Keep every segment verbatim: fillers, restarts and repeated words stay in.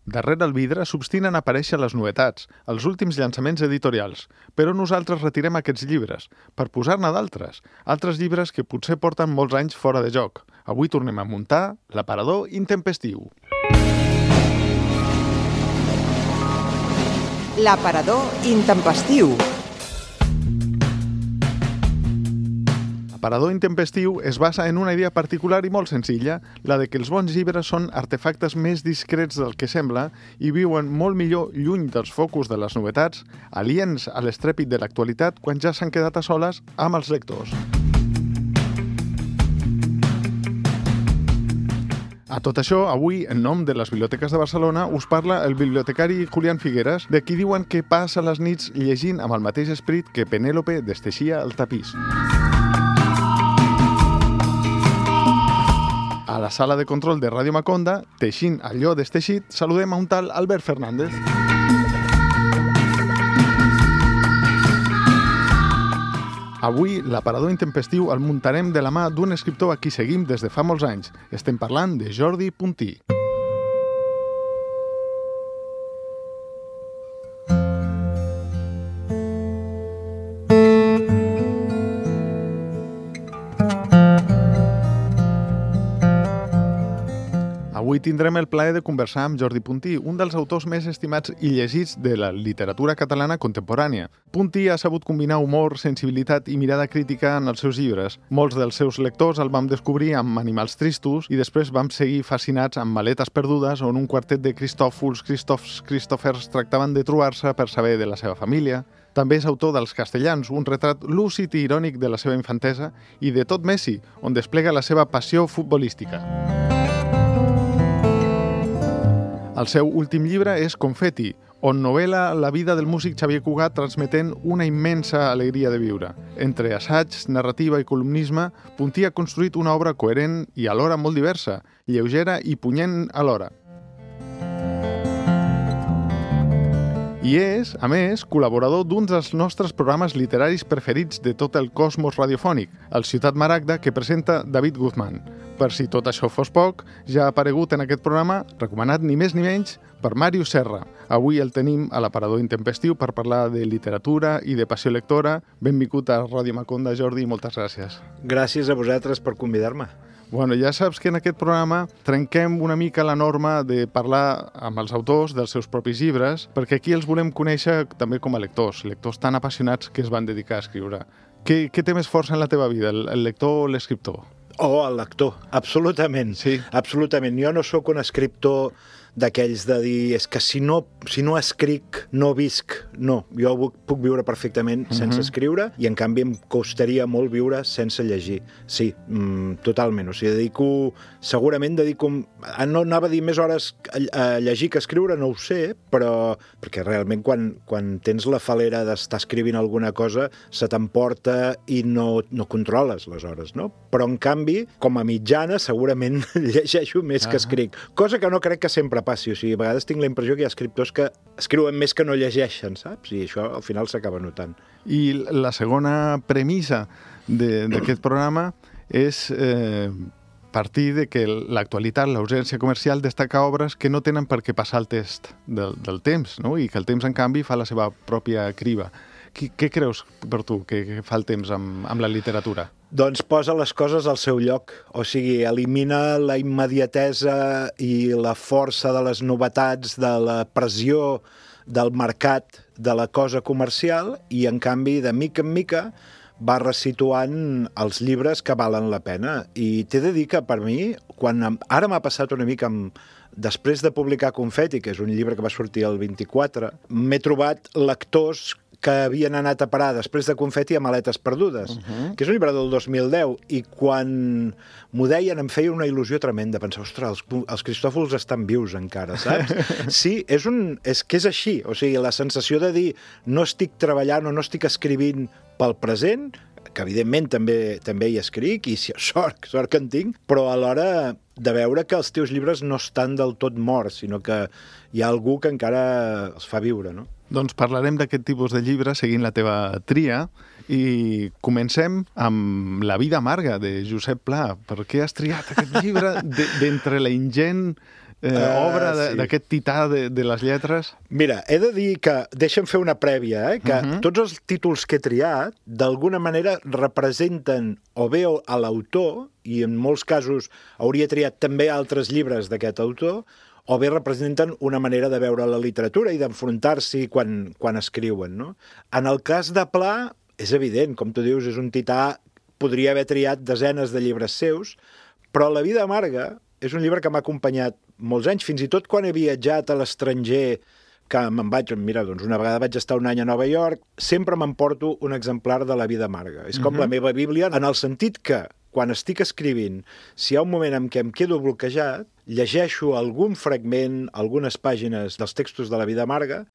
Darrere el vidre s'obstinen a aparèixer les novetats, els últims llançaments editorials, però nosaltres retirem aquests llibres, per posar-ne d'altres, altres llibres que potser porten molts anys fora de joc. Avui tornem a muntar l'aparador intempestiu. L'aparador intempestiu. L'aparador intempestiu es basa en una idea particular i molt senzilla, la de que els bons llibres són artefactes més discrets del que sembla i viuen molt millor lluny dels focus de les novetats, aliens a l'estrèpit de l'actualitat quan ja s'han quedat a soles amb els lectors. A tot això, avui, en nom de les biblioteques de Barcelona, us parla el bibliotecari Julián Figueras, de qui diuen que passa les nits llegint amb el mateix esperit que Penèlope desteixia el tapís. A la sala de control de Ràdio Maconda, teixint allò desteixit, saludem a un tal Albert Fernández. Avui, l'aparador intempestiu el muntarem de la mà d'un escriptor a qui seguim des de fa molts anys. Estem parlant de Jordi Puntí. Avui tindrem el plaer de conversar amb Jordi Puntí, un dels autors més estimats i llegits de la literatura catalana contemporània. Puntí ha sabut combinar humor, sensibilitat i mirada crítica en els seus llibres. Molts dels seus lectors el vam descobrir amb Animals tristos i després vam seguir fascinats amb Maletes perdudes, on un quartet de Cristòfols, Cristòfs, Cristòfers tractaven de trobar-se per saber de la seva família. També és autor dels Castellans, un retrat lúcid i irònic de la seva infantesa, i de Tot Messi, on desplega la seva passió futbolística. El seu últim llibre és Confeti, on novel·la la vida del músic Xavier Cugat transmetent una immensa alegria de viure. Entre assaig, narrativa i columnisme, Puntí ha construït una obra coherent i alhora molt diversa, lleugera i punyent alhora. I és, a més, col·laborador d'un dels nostres programes literaris preferits de tot el cosmos radiofònic, el Ciutat Maragda, que presenta David Guzmán. Per si tot això fos poc, ja ha aparegut en aquest programa, recomanat ni més ni menys, per Màrius Serra. Avui el tenim a l'aparador intempestiu per parlar de literatura i de passió lectora. Benvingut a Ràdio Maconda, Jordi, i moltes gràcies. Gràcies a vosaltres per convidar-me. Bueno, ja saps que en aquest programa trenquem una mica la norma de parlar amb els autors dels seus propis llibres, perquè aquí els volem conèixer també com a lectors, lectors tan apassionats que es van dedicar a escriure. Què, què té més força en la teva vida, el, el lector o l'escriptor? Oh, el lector, absolutament. Sí. Absolutament. Jo no sóc un escriptor d'aquells de dir és que si no, si no escric no visc. No, jo puc viure perfectament uh-huh. sense escriure i en canvi em costaria molt viure sense llegir. Sí, mm, totalment. O sigui, dedico, segurament dedico, no anava a dir més hores a llegir que a escriure, no ho sé, però perquè realment quan, quan tens la falera d'estar escrivint alguna cosa se t'emporta i no, no controles les hores, no? Però en canvi, com a mitjana, segurament llegeixo més uh-huh. que escric. Cosa que no crec que sempre passi, o sigui, a vegades tinc la impressió que hi ha escriptors que escriuen més que no llegeixen, saps? I això al final s'acaba notant. I la segona premissa d'aquest programa és eh, partir de que l'actualitat, la urgència comercial, destaca obres que no tenen per què passar el test del, del temps, no? I que el temps, en canvi, fa la seva pròpia criba. Què, què creus per tu que, que fa el temps amb, amb la literatura? Doncs posa les coses al seu lloc, o sigui, elimina la immediatesa i la força de les novetats, de la pressió del mercat, de la cosa comercial, i en canvi, de mica en mica, va resituant els llibres que valen la pena. I t'he de dir que per mi, quan ara m'ha passat una mica amb, després de publicar Confeti, que és un llibre que va sortir el vint-i-quatre, m'he trobat lectors que havien anat a parar després de Confeti a Maletes perdudes, uh-huh. que és un llibre del dos mil deu, i quan m'ho deien em feia una il·lusió tremenda, pensar, ostres, els, els Cristòfols estan vius encara, saps? Sí, és, un, és que és així, o sigui, la sensació de dir no estic treballant o no estic escrivint pel present, que evidentment també, també hi escric, i sort, sort que en tinc, però alhora de veure que els teus llibres no estan del tot morts, sinó que hi ha algú que encara els fa viure, no? Doncs parlarem d'aquest tipus de llibres seguint la teva tria i comencem amb La vida amarga de Josep Pla. Per què has triat aquest llibre d'entre la ingent eh, Uh, obra de- sí. d'aquest tità de, de les lletres? Mira, he de dir que, deixa'm fer una prèvia, eh, que uh -huh. tots els títols que he triat, d'alguna manera representen o bé a l'autor, i en molts casos hauria triat també altres llibres d'aquest autor, o bé representen una manera de veure la literatura i d'enfrontar-s'hi quan, quan escriuen, no? En el cas de Pla, és evident, com tu dius, és un tità, podria haver triat desenes de llibres seus, però La vida amarga és un llibre que m'ha acompanyat molts anys, fins i tot quan he viatjat a l'estranger, que me'n vaig, mira, doncs una vegada vaig estar un any a Nova York, sempre m'emporto un exemplar de La vida amarga. És com uh-huh. la meva Bíblia, en el sentit que, quan estic escrivint, si hi ha un moment en què em quedo bloquejat, llegeixo algun fragment, algunes pàgines dels textos de La vida amarga,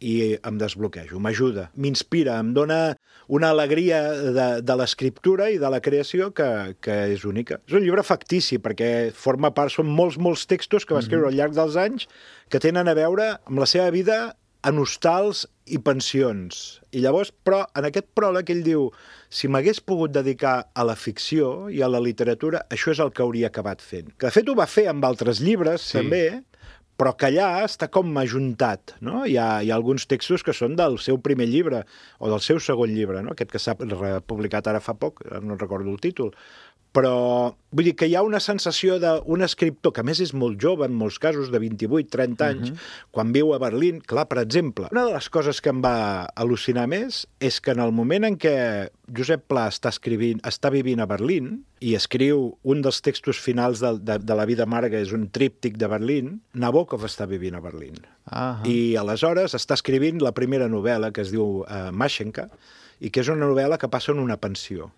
i em desbloquejo, m'ajuda, m'inspira, em dona una alegria de, de l'escriptura i de la creació que, que és única. És un llibre factici, perquè forma part, són molts, molts textos que va escriure al llarg dels anys que tenen a veure amb la seva vida en hostals i pensions. I llavors, però, en aquest pròleg ell diu, si m'hagués pogut dedicar a la ficció i a la literatura, això és el que hauria acabat fent. Que, de fet, ho va fer amb altres llibres, sí. també, però que allà està com ajuntat, no? Hi ha, hi ha alguns textos que són del seu primer llibre o del seu segon llibre, no? Aquest que s'ha publicat ara fa poc, no recordo el títol, però vull dir que hi ha una sensació d'un escriptor, que a més és molt jove, en molts casos, de vint-i-vuit, trenta anys, uh-huh. quan viu a Berlín. Clar, per exemple, una de les coses que em va al·lucinar més és que en el moment en què Josep Pla està escrivint, està vivint a Berlín i escriu un dels textos finals de, de, de La vida amarga, és un tríptic de Berlín, Nabokov està vivint a Berlín. Uh-huh. I aleshores està escrivint la primera novel·la, que es diu uh, Mashenka, i que és una novel·la que passa en una pensió.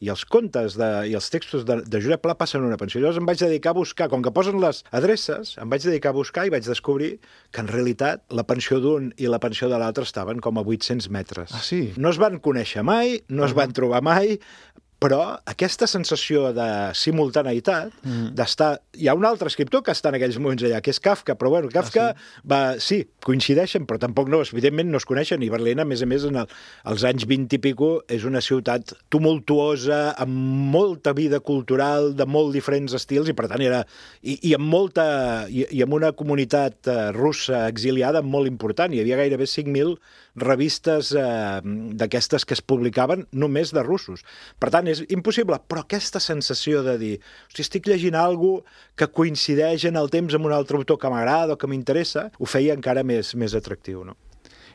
I els contes de, i els textos de, de Josep Pla passen en una pensió. Llavors em vaig dedicar a buscar, com que posen les adreces, em vaig dedicar a buscar i vaig descobrir que en realitat la pensió d'un i la pensió de l'altre estaven com a vuit-cents metres. Ah, sí? No es van conèixer mai, no uh-huh. es van trobar mai, però aquesta sensació de simultaneïtat, mm. d'estar... Hi ha un altre escriptor que està en aquells moments allà, que és Kafka, però bueno, Kafka ah, sí? va... Sí, coincideixen, però tampoc no, evidentment no es coneixen, i Berlín, a més a més, en el, els anys vint i pico, és una ciutat tumultuosa, amb molta vida cultural, de molt diferents estils, i per tant era... I, i amb molta... I, i amb una comunitat uh, russa exiliada molt important, hi havia gairebé cinc mil revistes eh, d'aquestes que es publicaven només de russos. Per tant, és impossible, però aquesta sensació de dir, hosti, estic llegint alguna que coincideix en el temps amb un altre autor que m'agrada o que m'interessa, ho feia encara més, més atractiu, no?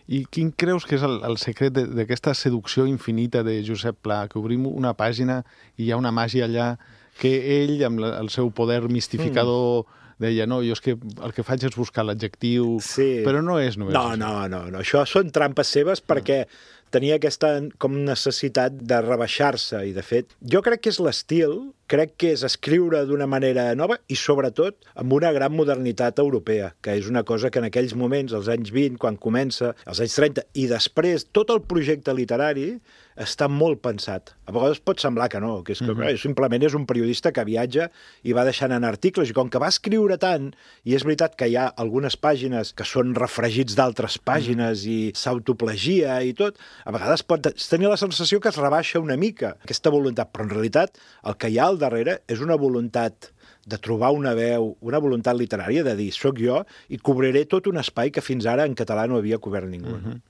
I quin creus que és el, el secret d'aquesta seducció infinita de Josep Pla, que obrim una pàgina i hi ha una màgia allà que ell, amb la, el seu poder mistificador, mm. deia, no, jo és que el que faig és buscar l'adjectiu, sí. però no és només... No, no, no, no, això són trampes seves perquè tenia aquesta com necessitat de rebaixar-se i, de fet, jo crec que és l'estil, crec que és escriure d'una manera nova i, sobretot, amb una gran modernitat europea, que és una cosa que en aquells moments, als anys vint, quan comença, als anys trenta, i després tot el projecte literari està molt pensat. A vegades pot semblar que no, que, és que uh-huh. simplement és un periodista que viatja i va deixant en articles, i com que va escriure tant, i és veritat que hi ha algunes pàgines que són refregits d'altres pàgines uh-huh. i s'autoplagia i tot, a vegades pot tenir la sensació que es rebaixa una mica aquesta voluntat, però en realitat el que hi ha al darrere és una voluntat de trobar una veu, una voluntat literària de dir, soc jo i cobriré tot un espai que fins ara en català no havia cobert ningú. Uh-huh.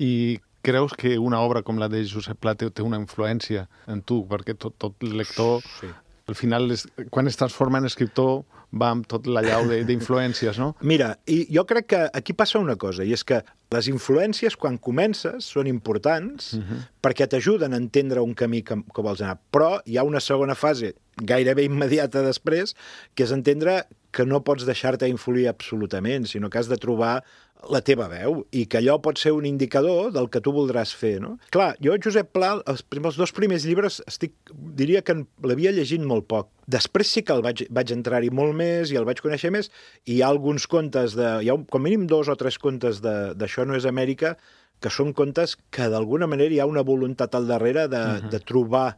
I creus que una obra com la de Josep Pla té una influència en tu? Perquè tot, tot lector, sí. al final, és, quan es transforma en escriptor, va amb tot l'allau d'influències, no? Mira, i jo crec que aquí passa una cosa, i és que les influències, quan comences, són importants uh-huh. perquè t'ajuden a entendre un camí que, que vols anar. Però hi ha una segona fase, gairebé immediata després, que és entendre que no pots deixar-te influir absolutament, sinó que has de trobar la teva veu, i que allò pot ser un indicador del que tu voldràs fer, no? Clar, jo, Josep Pla, els, els dos primers llibres, estic, diria que l'havia llegit molt poc. Després sí que el vaig, vaig entrar-hi molt més i el vaig conèixer més, i hi ha alguns contes, de, hi ha un, com mínim dos o tres contes d'Això no és Amèrica, que són contes que d'alguna manera hi ha una voluntat al darrere de, uh-huh. de trobar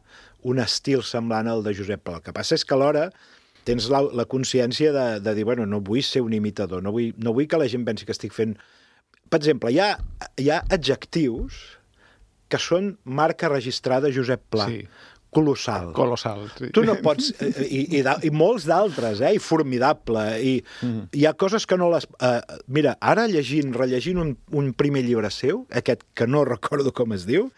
un estil semblant al de Josep Pla. El que passa és que alhora tens la, la consciència de, de dir, bueno, no vull ser un imitador, no vull, no vull que la gent pensi que estic fent... Per exemple, hi ha, hi ha adjectius que són marca registrada Josep Pla, sí. colossal. Colossal, sí. Tu no pots... I, i, i molts d'altres, eh? I formidable. I mm. hi ha coses que no les... Uh, mira, ara llegint, rellegint un, un primer llibre seu, aquest que no recordo com es diu,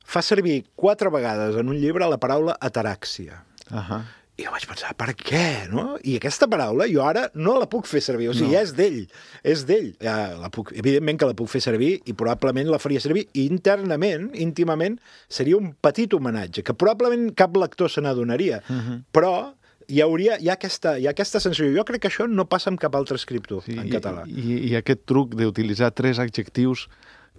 fa servir quatre vegades en un llibre la paraula ataràxia. Uh -huh. I jo vaig pensar, per què, no? I aquesta paraula jo ara no la puc fer servir, o sigui, no. ja és d'ell, és d'ell. Ja la puc, evidentment que la puc fer servir i probablement la faria servir i internament, íntimament, seria un petit homenatge, que probablement cap lector se n'adonaria, uh -huh. però hi hauria, hi ha aquesta, hi ha aquesta sensació. Jo crec que això no passa amb cap altre escriptor sí, en i, català. I, I aquest truc d'utilitzar tres adjectius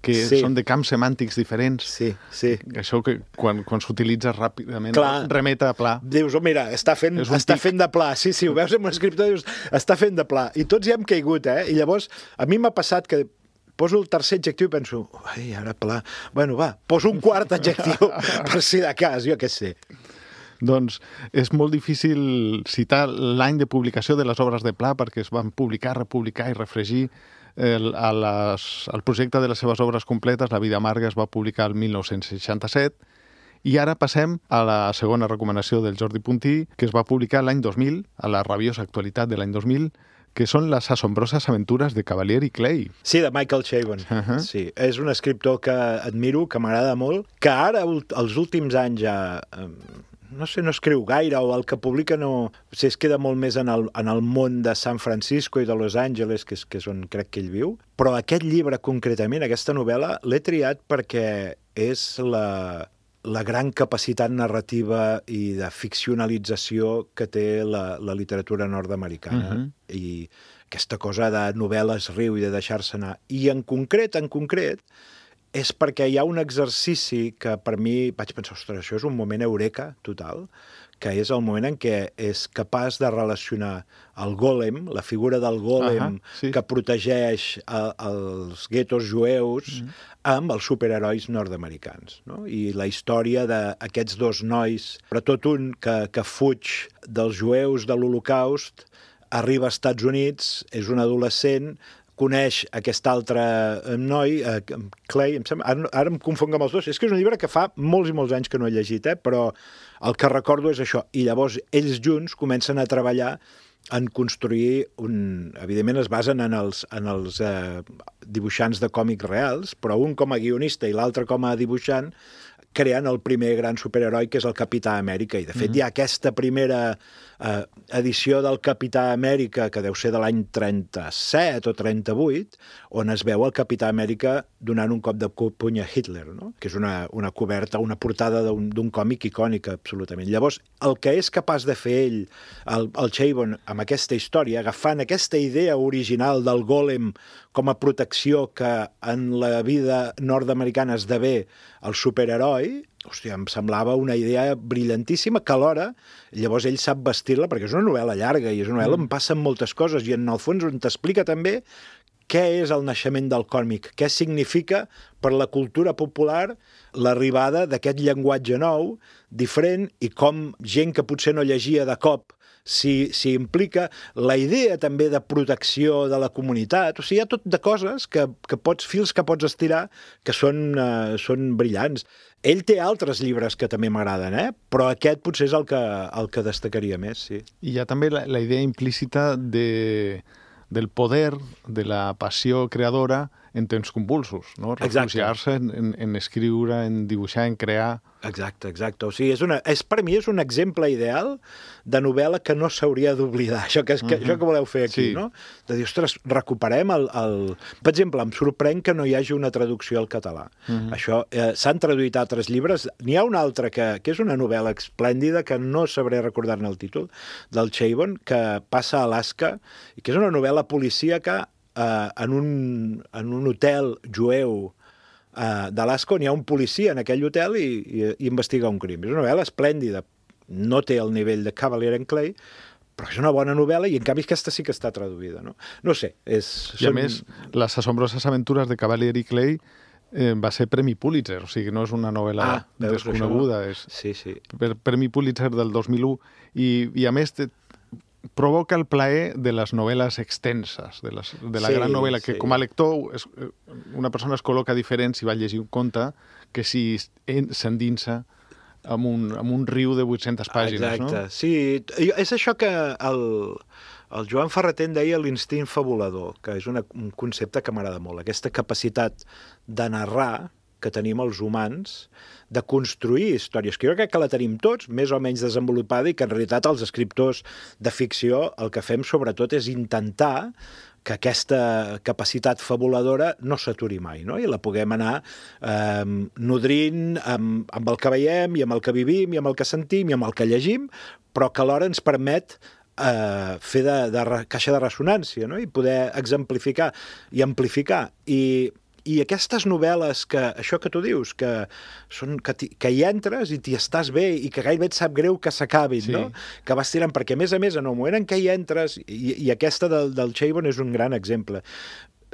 que sí. són de camps semàntics diferents. Sí, sí. Això que quan, quan s'utilitza ràpidament Clar. remet a pla. Dius, oh, mira, està fent, està fent de pla. Sí, sí, ho veus en un escriptor, dius, està fent de pla. I tots hi hem caigut, eh? I llavors, a mi m'ha passat que poso el tercer adjectiu i penso, ai, ara pla... Bueno, va, poso un quart adjectiu per si de cas, jo què sé. Doncs és molt difícil citar l'any de publicació de les obres de Pla perquè es van publicar, republicar i refregir. El, a les, el projecte de les seves obres completes, La vida amarga, es va publicar el mil nou-cents seixanta-set i ara passem a la segona recomanació del Jordi Puntí, que es va publicar l'any dos mil, a la rabiosa actualitat de l'any dos mil, que són les assombroses aventures de Cavalier i Clay. Sí, de Michael Chabon. Uh -huh. Sí, és un escriptor que admiro, que m'agrada molt, que ara, els últims anys ja... no sé, no escriu gaire, o el que publica no... O sigui, es queda molt més en el, en el món de San Francisco i de Los Angeles, que és, que és on crec que ell viu. Però aquest llibre, concretament, aquesta novel·la, l'he triat perquè és la, la gran capacitat narrativa i de ficcionalització que té la, la literatura nord-americana. Uh -huh. I aquesta cosa de novel·les riu i de deixar-se anar. I en concret, en concret, és perquè hi ha un exercici que per mi vaig pensar, ostres, això és un moment eureka total, que és el moment en què és capaç de relacionar el gòlem, la figura del gòlem uh -huh, sí. que protegeix a, els guetos jueus, uh -huh. amb els superherois nord-americans. No? I la història d'aquests dos nois, sobretot un que, que fuig dels jueus de l'Holocaust, arriba als Estats Units, és un adolescent, coneix aquest altre noi, eh, Clay, em sembla, ara, ara em confonc amb els dos, és que és un llibre que fa molts i molts anys que no he llegit, eh, però el que recordo és això, i llavors ells junts comencen a treballar en construir un... Evidentment es basen en els, en els eh, dibuixants de còmics reals, però un com a guionista i l'altre com a dibuixant, creant el primer gran superheroi, que és el Capità Amèrica. I, de fet, mm-hmm. hi ha aquesta primera eh, edició del Capità Amèrica, que deu ser de l'any trenta-set o trenta-vuit, on es veu el Capità Amèrica donant un cop de puny a Hitler, no? Que és una, una coberta, una portada d'un còmic icònica, absolutament. Llavors, el que és capaç de fer ell, el, el Chabon, amb aquesta història, agafant aquesta idea original del gòlem com a protecció que en la vida nord-americana esdevé el superheroi, hòstia, em semblava una idea brillantíssima, que alhora, llavors ell sap vestir-la, perquè és una novel·la llarga i és una novel·la on passen moltes coses, i en el fons on t'explica també què és el naixement del còmic, què significa per la cultura popular l'arribada d'aquest llenguatge nou, diferent, i com gent que potser no llegia de cop s'hi implica, la idea també de protecció de la comunitat, o sigui, hi ha tot de coses que, que pots, fils que pots estirar, que són, uh, són brillants. Ell té altres llibres que també m'agraden, eh? Però aquest potser és el que, el que destacaria més, sí. I hi ha també la, la idea implícita de, del poder, de la passió creadora en temps convulsos, no? Refugiar-se en, en, en escriure, en dibuixar, en crear... Exacte, exacte. O sigui, és una, és, per mi és un exemple ideal de novel·la que no s'hauria d'oblidar, això que, que, uh-huh. això que voleu fer aquí, sí. no? De dir, ostres, recuperem el, el... Per exemple, em sorprèn que no hi hagi una traducció al català. Uh-huh. Això, eh, s'han traduït altres llibres. N'hi ha una altra que, que és una novel·la esplèndida, que no sabré recordar-ne el títol, del Chabon, que passa a Alaska, i que és una novel·la policíaca eh, en, un, en un hotel jueu Uh, d'Alaska, on hi ha un policia en aquell hotel i, i, i investiga un crim. És una novel·la esplèndida. No té el nivell de Cavalier and Clay, però és una bona novel·la i en canvi aquesta sí que està traduïda. No, no sé. És, I a són... més, Les assombroses aventures de Cavalier i Clay eh, va ser Premi Pulitzer, o sigui, no és una novel·la ah, desconeguda. És sí, sí. Premi Pulitzer del dos mil u i, i a més te, provoca el plaer de les novel·les extenses, de, les, de la sí, gran novel·la, que sí. com a lector es, una persona es col·loca diferent si va llegir un conte que si s'endinsa amb un, amb un riu de vuit-centes pàgines, Exacte. no? Sí, és això que el, el Joan Ferreter en deia l'instint fabulador, que és una, un concepte que m'agrada molt, aquesta capacitat de narrar que tenim els humans, de construir històries, que jo crec que la tenim tots, més o menys desenvolupada, i que en realitat els escriptors de ficció el que fem sobretot és intentar que aquesta capacitat fabuladora no s'aturi mai, no? I la puguem anar eh, nodrint amb, amb el que veiem, i amb el que vivim, i amb el que sentim, i amb el que llegim, però que alhora ens permet eh, fer de, de caixa de ressonància, no? I poder exemplificar i amplificar. I I aquestes novel·les, que això que tu dius, que, són, que, que hi entres i t'hi estàs bé i que gairebé et sap greu que s'acabin, sí. no? Que vas tirant, perquè a més a més, en el moment en què hi entres, i, i aquesta del, del Chabon és un gran exemple,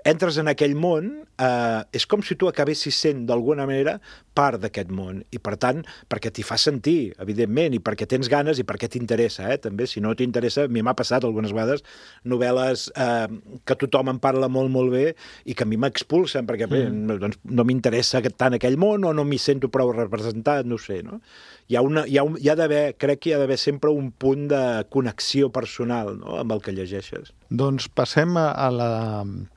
entres en aquell món, eh, és com si tu acabessis sent d'alguna manera part d'aquest món, i per tant, perquè t'hi fa sentir, evidentment, i perquè tens ganes i perquè t'interessa, eh? També, si no t'interessa, a mi m'ha passat algunes vegades novel·les eh, que tothom en parla molt, molt bé i que a mi m'expulsen, perquè bé, mm. no, doncs, no m'interessa tant aquell món o no m'hi sento prou representat, no sé, no? Hi ha, una, hi ha, un, hi ha d'haver, crec que hi ha d'haver sempre un punt de connexió personal, no?, amb el que llegeixes. Doncs passem a, a la,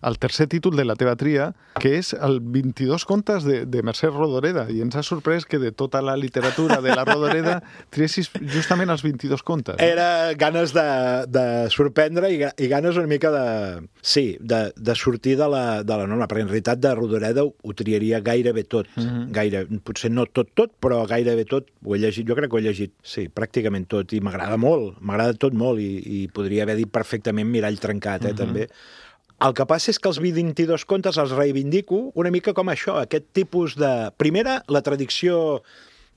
al tercer títol de la teva tria, que és el vint-i-dos contes de, de Mercè Rodoreda, i ens ha sorprès que de tota la literatura de la Rodoreda triessis justament els vint-i-dos contes. No? Era ganes de, de sorprendre i, i ganes una mica de... Sí, de, de sortir de la, de la norma, perquè en realitat de Rodoreda ho, ho triaria gairebé tot. Mm-hmm. Gaire, potser no tot, tot, però gairebé tot ho he llegit. Jo crec que ho he llegit, sí, pràcticament tot, i m'agrada molt, m'agrada tot molt, i, i podria haver dit perfectament Mirall trencat, eh, mm-hmm. també. El que passa és que els vint-i-dos contes els reivindico una mica com això, aquest tipus de... Primera, la tradició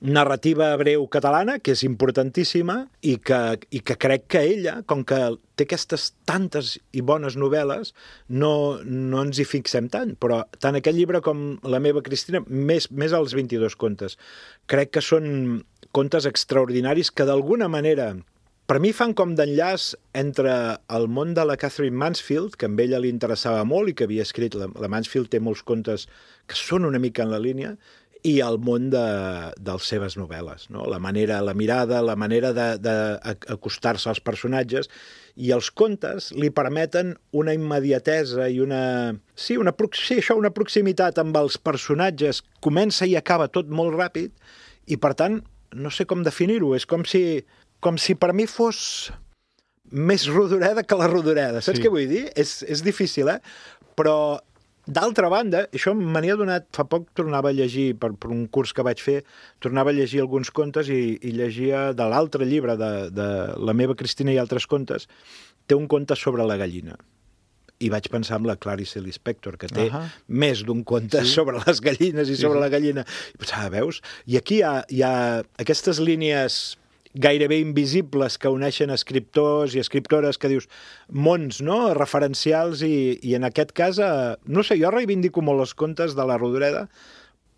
narrativa breu catalana, que és importantíssima, i que, i que crec que ella, com que té aquestes tantes i bones novel·les, no, no ens hi fixem tant, però tant aquest llibre com La meva Cristina, més, més els vint-i-dos contes, crec que són contes extraordinaris que d'alguna manera... Per mi fan com d'enllaç entre el món de la Catherine Mansfield, que a ella li interessava molt i que havia escrit, la, la Mansfield té molts contes que són una mica en la línia, i el món de, de les seves novel·les, no? La manera, la mirada, la manera d'acostar-se als personatges, i els contes li permeten una immediatesa i una... Sí, una, sí, això, una proximitat amb els personatges. Comença i acaba tot molt ràpid, i per tant, no sé com definir-ho, és com si... com si per mi fos més Rodoreda que la Rodoreda. Saps sí. què vull dir? És, és difícil, eh? Però, d'altra banda, això me n'hi ha donat... Fa poc tornava a llegir, per, per un curs que vaig fer, tornava a llegir alguns contes i, i llegia de l'altre llibre, de, de La meva Cristina i altres contes, té un conte sobre la gallina. I vaig pensar en la Clarice Lispector, que té uh-huh. més d'un conte sí. sobre les gallines i sobre sí, sí. la gallina. I pensava, veus? I aquí hi ha, hi ha aquestes línies... gairebé invisibles que uneixen escriptors i escriptores, que dius, mons, no?, referencials, i, i en aquest cas, eh, no sé, jo reivindico molt els contes de la Rodoreda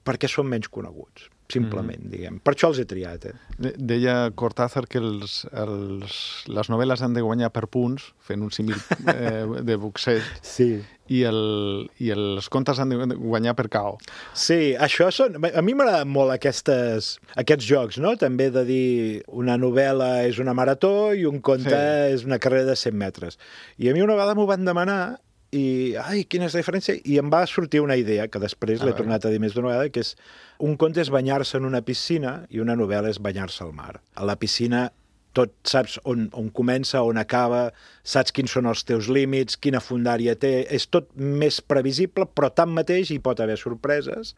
perquè són menys coneguts, simplement, mm. diguem. Per això els he triat, eh? De deia Cortázar que els, els, les novel·les han de guanyar per punts, fent un símil eh, de boxer, sí. i, el, i els contes han de guanyar per K O. Sí, això són... A mi m'agraden molt aquestes, aquests jocs, no? També de dir una novel·la és una marató i un conte sí. és una carrera de cent metres. I a mi una vegada m'ho van demanar i, ai, quina és la diferència? I em va sortir una idea, que després l'he tornat a dir més d'una vegada, que és un conte és banyar-se en una piscina i una novel·la és banyar-se al mar. A la piscina tot saps on, on comença, on acaba, saps quins són els teus límits, quina fundària té, és tot més previsible, però tanmateix hi pot haver sorpreses,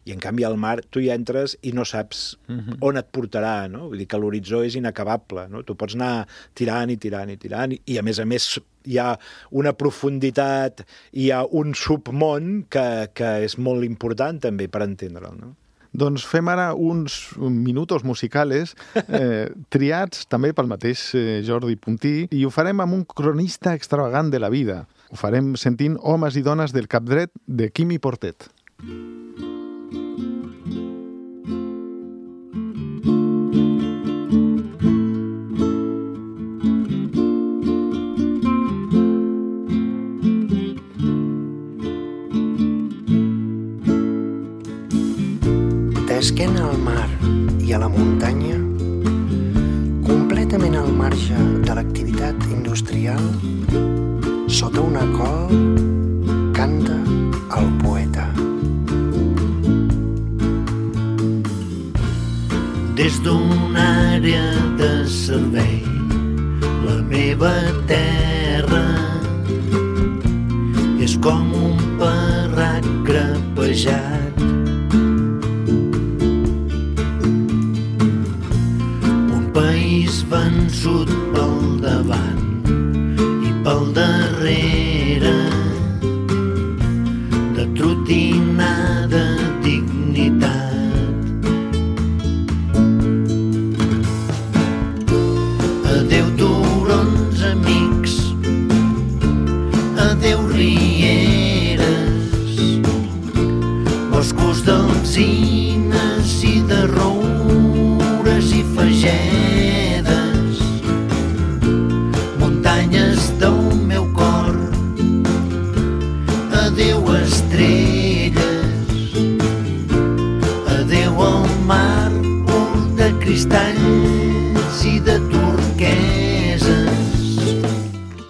i en canvi al mar tu hi entres i no saps uh-huh. on et portarà, no? Vull dir que l'horitzó és inacabable, no? Tu pots anar tirant i tirant i tirant, i a més a més hi ha una profunditat, hi ha un submón que, que és molt important també per entendre'l, no? Doncs fem ara uns minutos musicales eh, triats també pel mateix eh, Jordi Puntí, i ho farem amb un cronista extravagant de la vida. Ho farem sentint Homes i dones del cap dret de Quimi Portet. D'esquena al mar i a la muntanya, completament al marge de l'activitat industrial, sota una col, canta el poeta. Des d'una àrea de servei, la meva terra és com un parrac crepejat. Un país vençut pel davant i pel darrere, de trotinada dignitat. Adéu turons amics, adéu rieres, boscos d'alzines i de roures i fagedes, muntanyes del meu cor, adéu estrelles, adéu al mar pur de cristalls i de turqueses.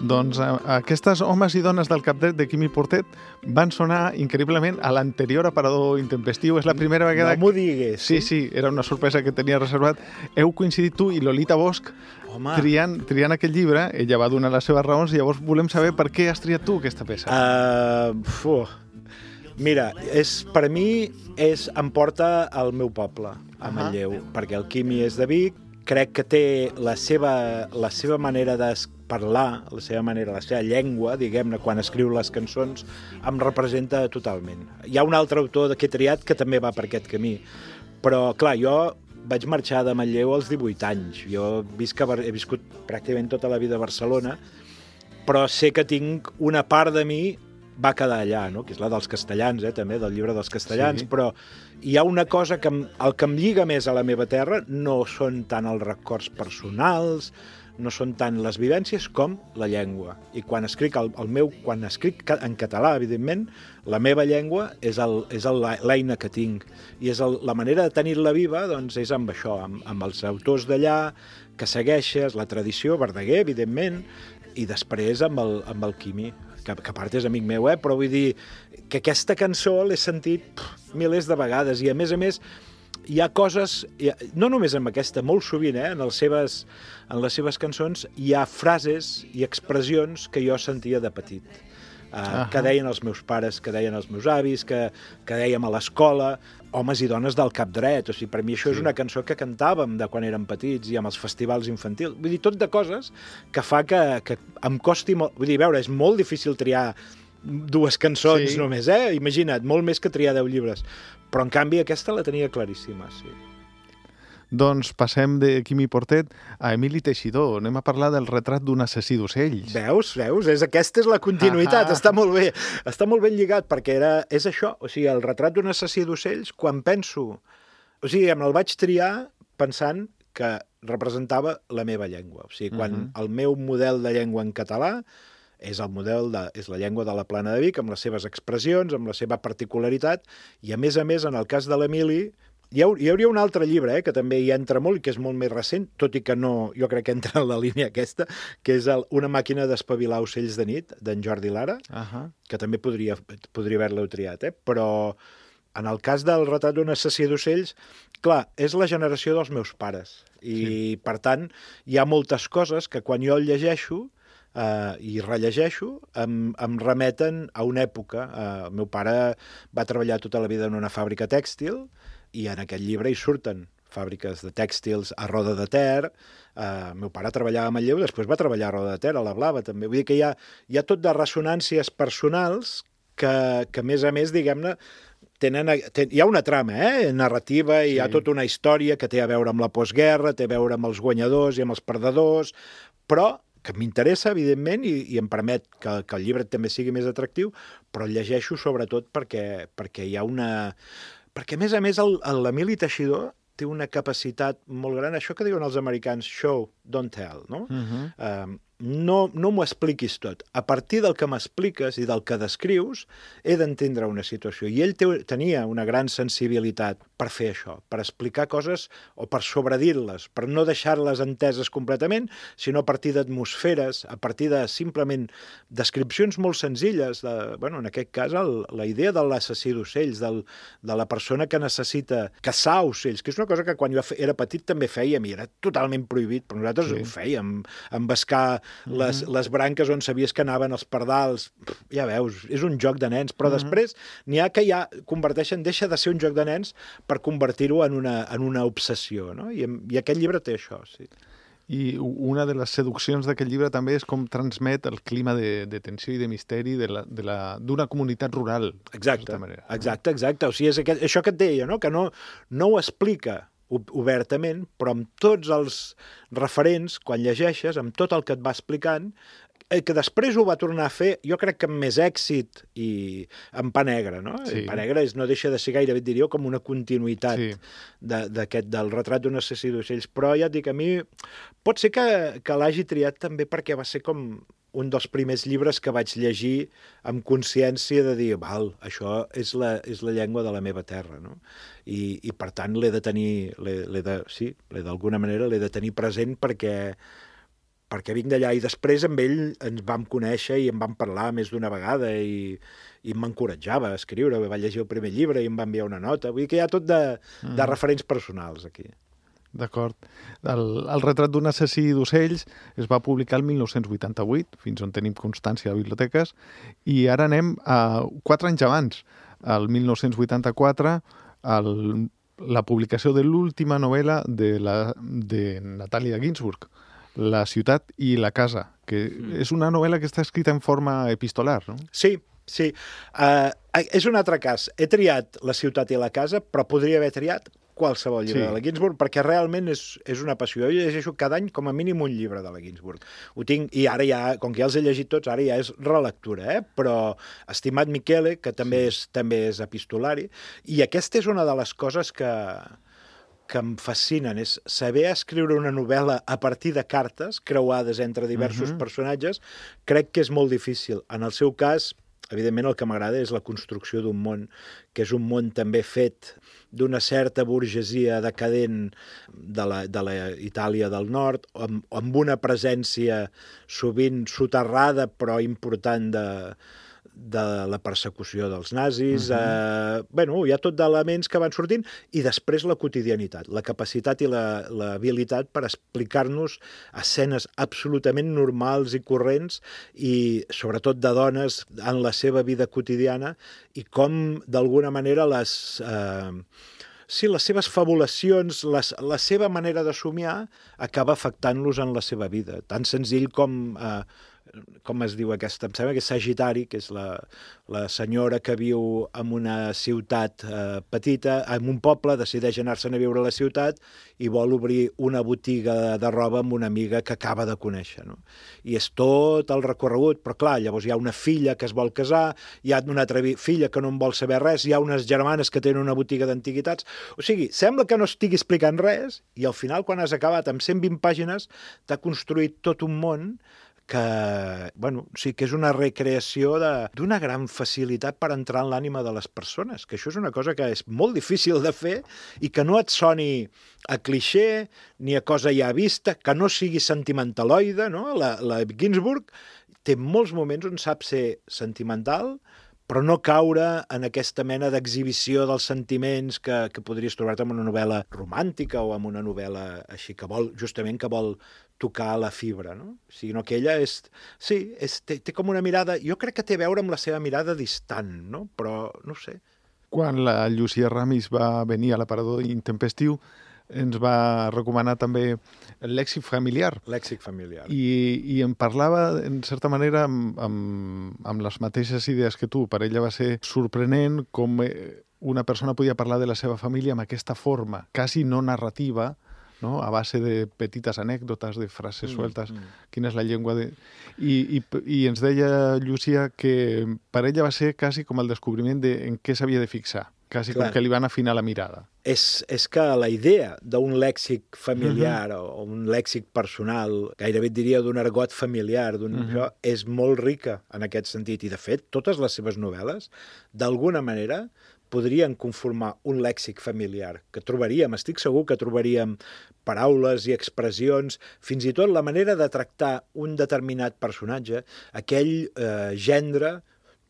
Doncs eh, aquestes homes i dones del Cap Dret de Quimi Portet van sonar increïblement a l'anterior aparador intempestiu. És la primera vegada... No m'ho digues. Sí, sí, era una sorpresa que tenia reservat. Heu coincidit tu i Lolita Bosch triant, triant aquest llibre. Ella va donar les seves raons i llavors volem saber per què has triat tu aquesta peça. Uh, fu. Mira, és, per mi és, em porta al meu poble, a Manlleu, uh -huh. perquè el Quimi és de Vic, crec que té la seva, la seva manera de parlar, la seva manera, la seva llengua, diguem-ne, quan escriu les cançons, em representa totalment. Hi ha un altre autor que he triat que també va per aquest camí, però, clar, jo vaig marxar de Manlleu als divuit anys. Jo visc a, he viscut pràcticament tota la vida a Barcelona, però sé que tinc una part de mi va quedar allà, no? Que és la dels castellans, eh, també, del llibre dels castellans, sí. Però hi ha una cosa que em, el que em lliga més a la meva terra no són tant els records personals, no són tant les vivències com la llengua. I quan escric, el, el meu, quan escric en català, evidentment, la meva llengua és l'eina que tinc. I és el, la manera de tenir-la viva, doncs, és amb això, amb, amb els autors d'allà, que segueixes, la tradició, Verdaguer, evidentment, i després amb el, amb el Quimi, que, que a part és amic meu, eh? Però vull dir que aquesta cançó l'he sentit pff, milers de vegades, i a més a més hi ha coses, no només amb aquesta, molt sovint, eh? en, les seves, en les seves cançons hi ha frases i expressions que jo sentia de petit, uh, uh-huh. que deien els meus pares, que deien els meus avis, que, que dèiem a l'escola, homes i dones del Cap Dret. O sigui, per mi això sí. És una cançó que cantàvem de quan érem petits i amb els festivals infantils. Vull dir, tot de coses que fa que, que em costi molt... Vull dir, veure, és molt difícil triar dues cançons sí. només, eh? Imagina't, molt més que triar deu llibres. Però, en canvi, aquesta la tenia claríssima, sí. Doncs passem de Quimi Portet a Emili Teixidor. Anem a parlar del retrat d'un assassí d'ocells. Veus? Veus? És, aquesta és la continuïtat. Ah, està molt bé. Està molt ben lligat, perquè era, és això. O sigui, el retrat d'un assassí d'ocells, quan penso... O sigui, me'l vaig triar pensant que representava la meva llengua. O sigui, quan uh-huh. el meu model de llengua en català és el model de, és la llengua de la Plana de Vic, amb les seves expressions, amb la seva particularitat, i a més a més, en el cas de l'Emili, hi, ha, hi hauria un altre llibre eh, que també hi entra molt i que és molt més recent, tot i que no, jo crec que entra en la línia aquesta, que és el, Una màquina d'espavilar ocells de nit, d'en Jordi Lara, uh-huh. que també podria, podria haver-lo triat, eh? Però en el cas del retrat d'un assassí d'ocells, clar, és la generació dels meus pares, i sí. per tant hi ha moltes coses que quan jo el llegeixo Uh, i rellegeixo, em, em remeten a una època. Uh, el meu pare va treballar tota la vida en una fàbrica tèxtil i en aquest llibre hi surten fàbriques de tèxtils a Roda de Ter. Uh, el meu pare treballava a Manlleu, després va treballar a Roda de Ter, a la Blava també. Vull dir que hi ha, hi ha tot de ressonàncies personals que, que a més a més, diguem-ne, tenen, ten, hi ha una trama eh? narrativa, sí. Hi ha tota una història que té a veure amb la postguerra, té a veure amb els guanyadors i amb els perdedors, però que m'interessa, evidentment, i, i em permet que, que el llibre també sigui més atractiu, però el llegeixo sobretot perquè, perquè hi ha una... Perquè, a més a més, l'Emili Teixidor té una capacitat molt gran, això que diuen els americans, show, don't tell, no? Uh-huh. uh, no, no m'ho expliquis tot. A partir del que m'expliques i del que descrius, he d'entendre una situació. I ell te, tenia una gran sensibilitat per fer això, per explicar coses o per sobredir-les, per no deixar-les enteses completament, sinó a partir d'atmosferes, a partir de simplement descripcions molt senzilles. De, bueno, en aquest cas, el, la idea de l'assassí d'ocells, del, de la persona que necessita caçar ocells, que és una cosa que quan jo era petit també fèiem i era totalment prohibit, però nosaltres sí. ho fèiem, embascar mm-hmm. les, les branques on sabies que anaven els pardals. Ja veus, és un joc de nens, però mm-hmm. després n'hi ha que ja converteixen, deixa de ser un joc de nens per convertir-ho en una, en una obsessió, no? I, I aquest llibre té això, sí. I una de les seduccions d'aquest llibre també és com transmet el clima de, de tensió i de misteri d'una de la, de la, comunitat rural. Exacte, manera, exacte, exacte. O sigui, és aquest, això que et deia, no? Que no, no ho explica obertament, però amb tots els referents, quan llegeixes, amb tot el que et va explicant, que després ho va tornar a fer, jo crec que amb més èxit i en Pa Negre, no? Sí. Pa Negre és, no deixa de ser gairebé, diria, com una continuïtat sí. d'aquest, del retrat d'un assassí d'ocells, però ja et dic, a mi pot ser que, que l'hagi triat també perquè va ser com un dels primers llibres que vaig llegir amb consciència de dir, val, això és la, és la llengua de la meva terra, no? I, i per tant l'he de tenir, l'he de, sí, d'alguna manera l'he de tenir present perquè perquè vinc d'allà, i després amb ell ens vam conèixer i em vam parlar més d'una vegada i, i m'encoratjava a escriure, va llegir el primer llibre i em va enviar una nota, vull dir que hi ha tot de, mm. de referents personals aquí. D'acord. El, el retrat d'un assassí d'ocells es va publicar el mil nou-cents vuitanta-vuit, fins on tenim constància a biblioteques, i ara anem a quatre anys abans, el mil nou-cents vuitanta-quatre, el, la publicació de l'última novel·la de, la, de Natàlia Ginsburg, La ciutat i la casa, que mm. és una novel·la que està escrita en forma epistolar, no? Sí, sí. Uh, és un altre cas. He triat La ciutat i la casa, però podria haver triat qualsevol llibre sí. de la Ginsburg, perquè realment és, és una passió. Jo llegeixo cada any com a mínim un llibre de la Ginsburg. Ho tinc, i ara ja, com que ja els he llegit tots, ara ja és relectura, eh? Però Estimat Michele, que també, sí. és, també és epistolari, i aquesta és una de les coses que... que em fascinen, és saber escriure una novel·la a partir de cartes creuades entre diversos uh-huh. personatges, crec que és molt difícil. En el seu cas, evidentment, el que m'agrada és la construcció d'un món, que és un món també fet d'una certa burgesia decadent de la, de la Itàlia del Nord, amb, amb una presència sovint soterrada però important de... de la persecució dels nazis, uh-huh. eh, bueno, hi ha tot d'elements que van sortint, i després la quotidianitat, la capacitat i la, l'habilitat per explicar-nos escenes absolutament normals i corrents, i sobretot de dones en la seva vida quotidiana, i com d'alguna manera les... Eh, sí, les seves fabulacions, les, la seva manera de somiar acaba afectant-los en la seva vida. Tan senzill com... Eh, com es diu aquesta? Em sembla que és Sagitari, que és la, la senyora que viu en una ciutat eh, petita, en un poble, decideix anar-se'n a viure a la ciutat i vol obrir una botiga de, de roba amb una amiga que acaba de conèixer, no? I és tot el recorregut, però clar, llavors hi ha una filla que es vol casar, hi ha una altra filla que no en vol saber res, hi ha unes germanes que tenen una botiga d'antiguitats. O sigui, sembla que no estigui explicant res, i al final, quan has acabat amb cent vint pàgines, t'ha construït tot un món que, bueno, sí que és una recreació d'una gran facilitat per entrar en l'ànima de les persones, que això és una cosa que és molt difícil de fer i que no et soni a clixé ni a cosa ja vista, que no sigui sentimentaloide, no? La, la Ginsburg té molts moments on sap ser sentimental, però no caure en aquesta mena d'exhibició dels sentiments que, que podries trobar-te en una novel·la romàntica o en una novel·la així que vol, justament que vol tocar la fibra, no? O sigui, no, que ella és... Sí, és, té, té com una mirada... Jo crec que té a veure amb la seva mirada distant, no? Però, no sé. Quan la Llucia Ramis va venir a l'aparador intempestiu, ens va recomanar també el lèxic familiar. Lèxic familiar. I, i em parlava, en certa manera, amb, amb, amb les mateixes idees que tu. Per ella va ser sorprenent com una persona podia parlar de la seva família amb aquesta forma, quasi no narrativa, no? A base de petites anècdotes, de frases mm, sueltes, mm. quina és la llengua de... I, i, i ens deia Llucia que per ella va ser quasi com el descobriment de en què s'havia de fixar, quasi Clar. com que li van afinar la mirada. És, és que la idea d'un lèxic familiar uh -huh. o un lèxic personal, gairebé et diria d'un argot familiar, d'un, uh -huh. això, és molt rica en aquest sentit. I, de fet, totes les seves novel·les, d'alguna manera, podrien conformar un lèxic familiar, que trobaríem, estic segur que trobaríem paraules i expressions, fins i tot la manera de tractar un determinat personatge, aquell eh, gendre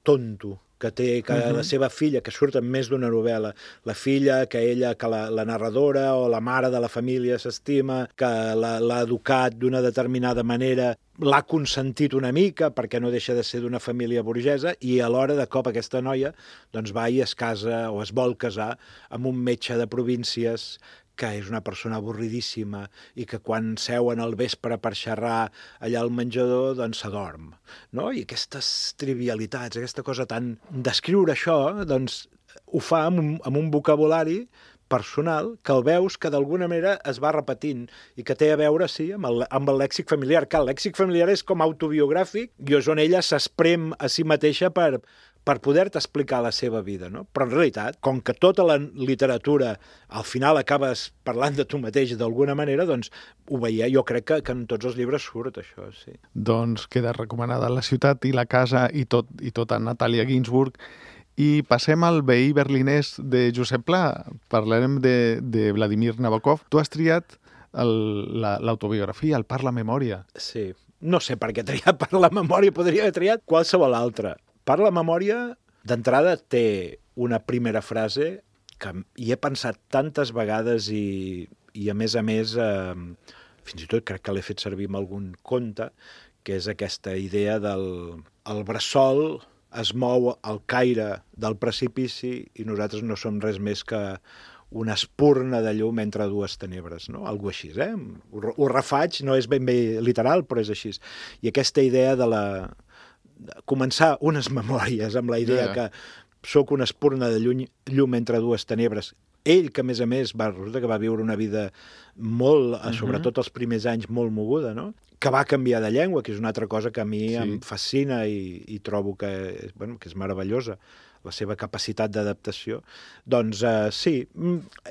tonto, que té que uh-huh. la seva filla, que surt en més d'una novel·la, la filla que ella, que la, la narradora o la mare de la família s'estima, que l'ha educat d'una determinada manera, l'ha consentit una mica perquè no deixa de ser d'una família burgesa, i alhora de cop aquesta noia doncs va i es casa o es vol casar amb un metge de províncies que és una persona avorridíssima i que quan seuen al vespre per xerrar allà al menjador, doncs s'adorm, no? I aquestes trivialitats, aquesta cosa tan... Descriure això, doncs, ho fa amb un, amb un vocabulari personal que el veus que d'alguna manera es va repetint i que té a veure, sí, amb el, amb el lèxic familiar. Que el lèxic familiar és com autobiogràfic i és on ella s'esprem a si mateixa per... per poder-te explicar la seva vida, no? Però en realitat, com que tota la literatura al final acabes parlant de tu mateix d'alguna manera, doncs ho veia, jo crec que, que en tots els llibres surt això, sí. Doncs queda recomanada La ciutat i la casa i tot, i tota Natàlia Ginsburg. I passem al veí berlinès de Josep Pla. Parlarem de, de Vladimir Nabokov. Tu has triat l'autobiografia, la, el Parla Memòria. Sí. No sé per què triat Parla Memòria, podria haver triat qualsevol altra. Parla Memòria, d'entrada, té una primera frase que hi he pensat tantes vegades i, i a més a més, eh, fins i tot crec que l'he fet servir en algun conte, que és aquesta idea del el bressol es mou al caire del precipici i nosaltres no som res més que una espurna de llum entre dues tenebres, no? Algo així, eh? Ho, ho refaig, no és ben bé literal, però és així. I aquesta idea de la... començar unes memòries amb la idea yeah. que sóc una espurna de llum, llum entre dues tenebres. Ell, que a més a més va, resulta que va viure una vida molt, uh-huh. sobretot els primers anys, molt moguda, no? Que va canviar de llengua, que és una altra cosa que a mi sí. em fascina i, i trobo que, bueno, que és meravellosa, la seva capacitat d'adaptació. Doncs uh, sí,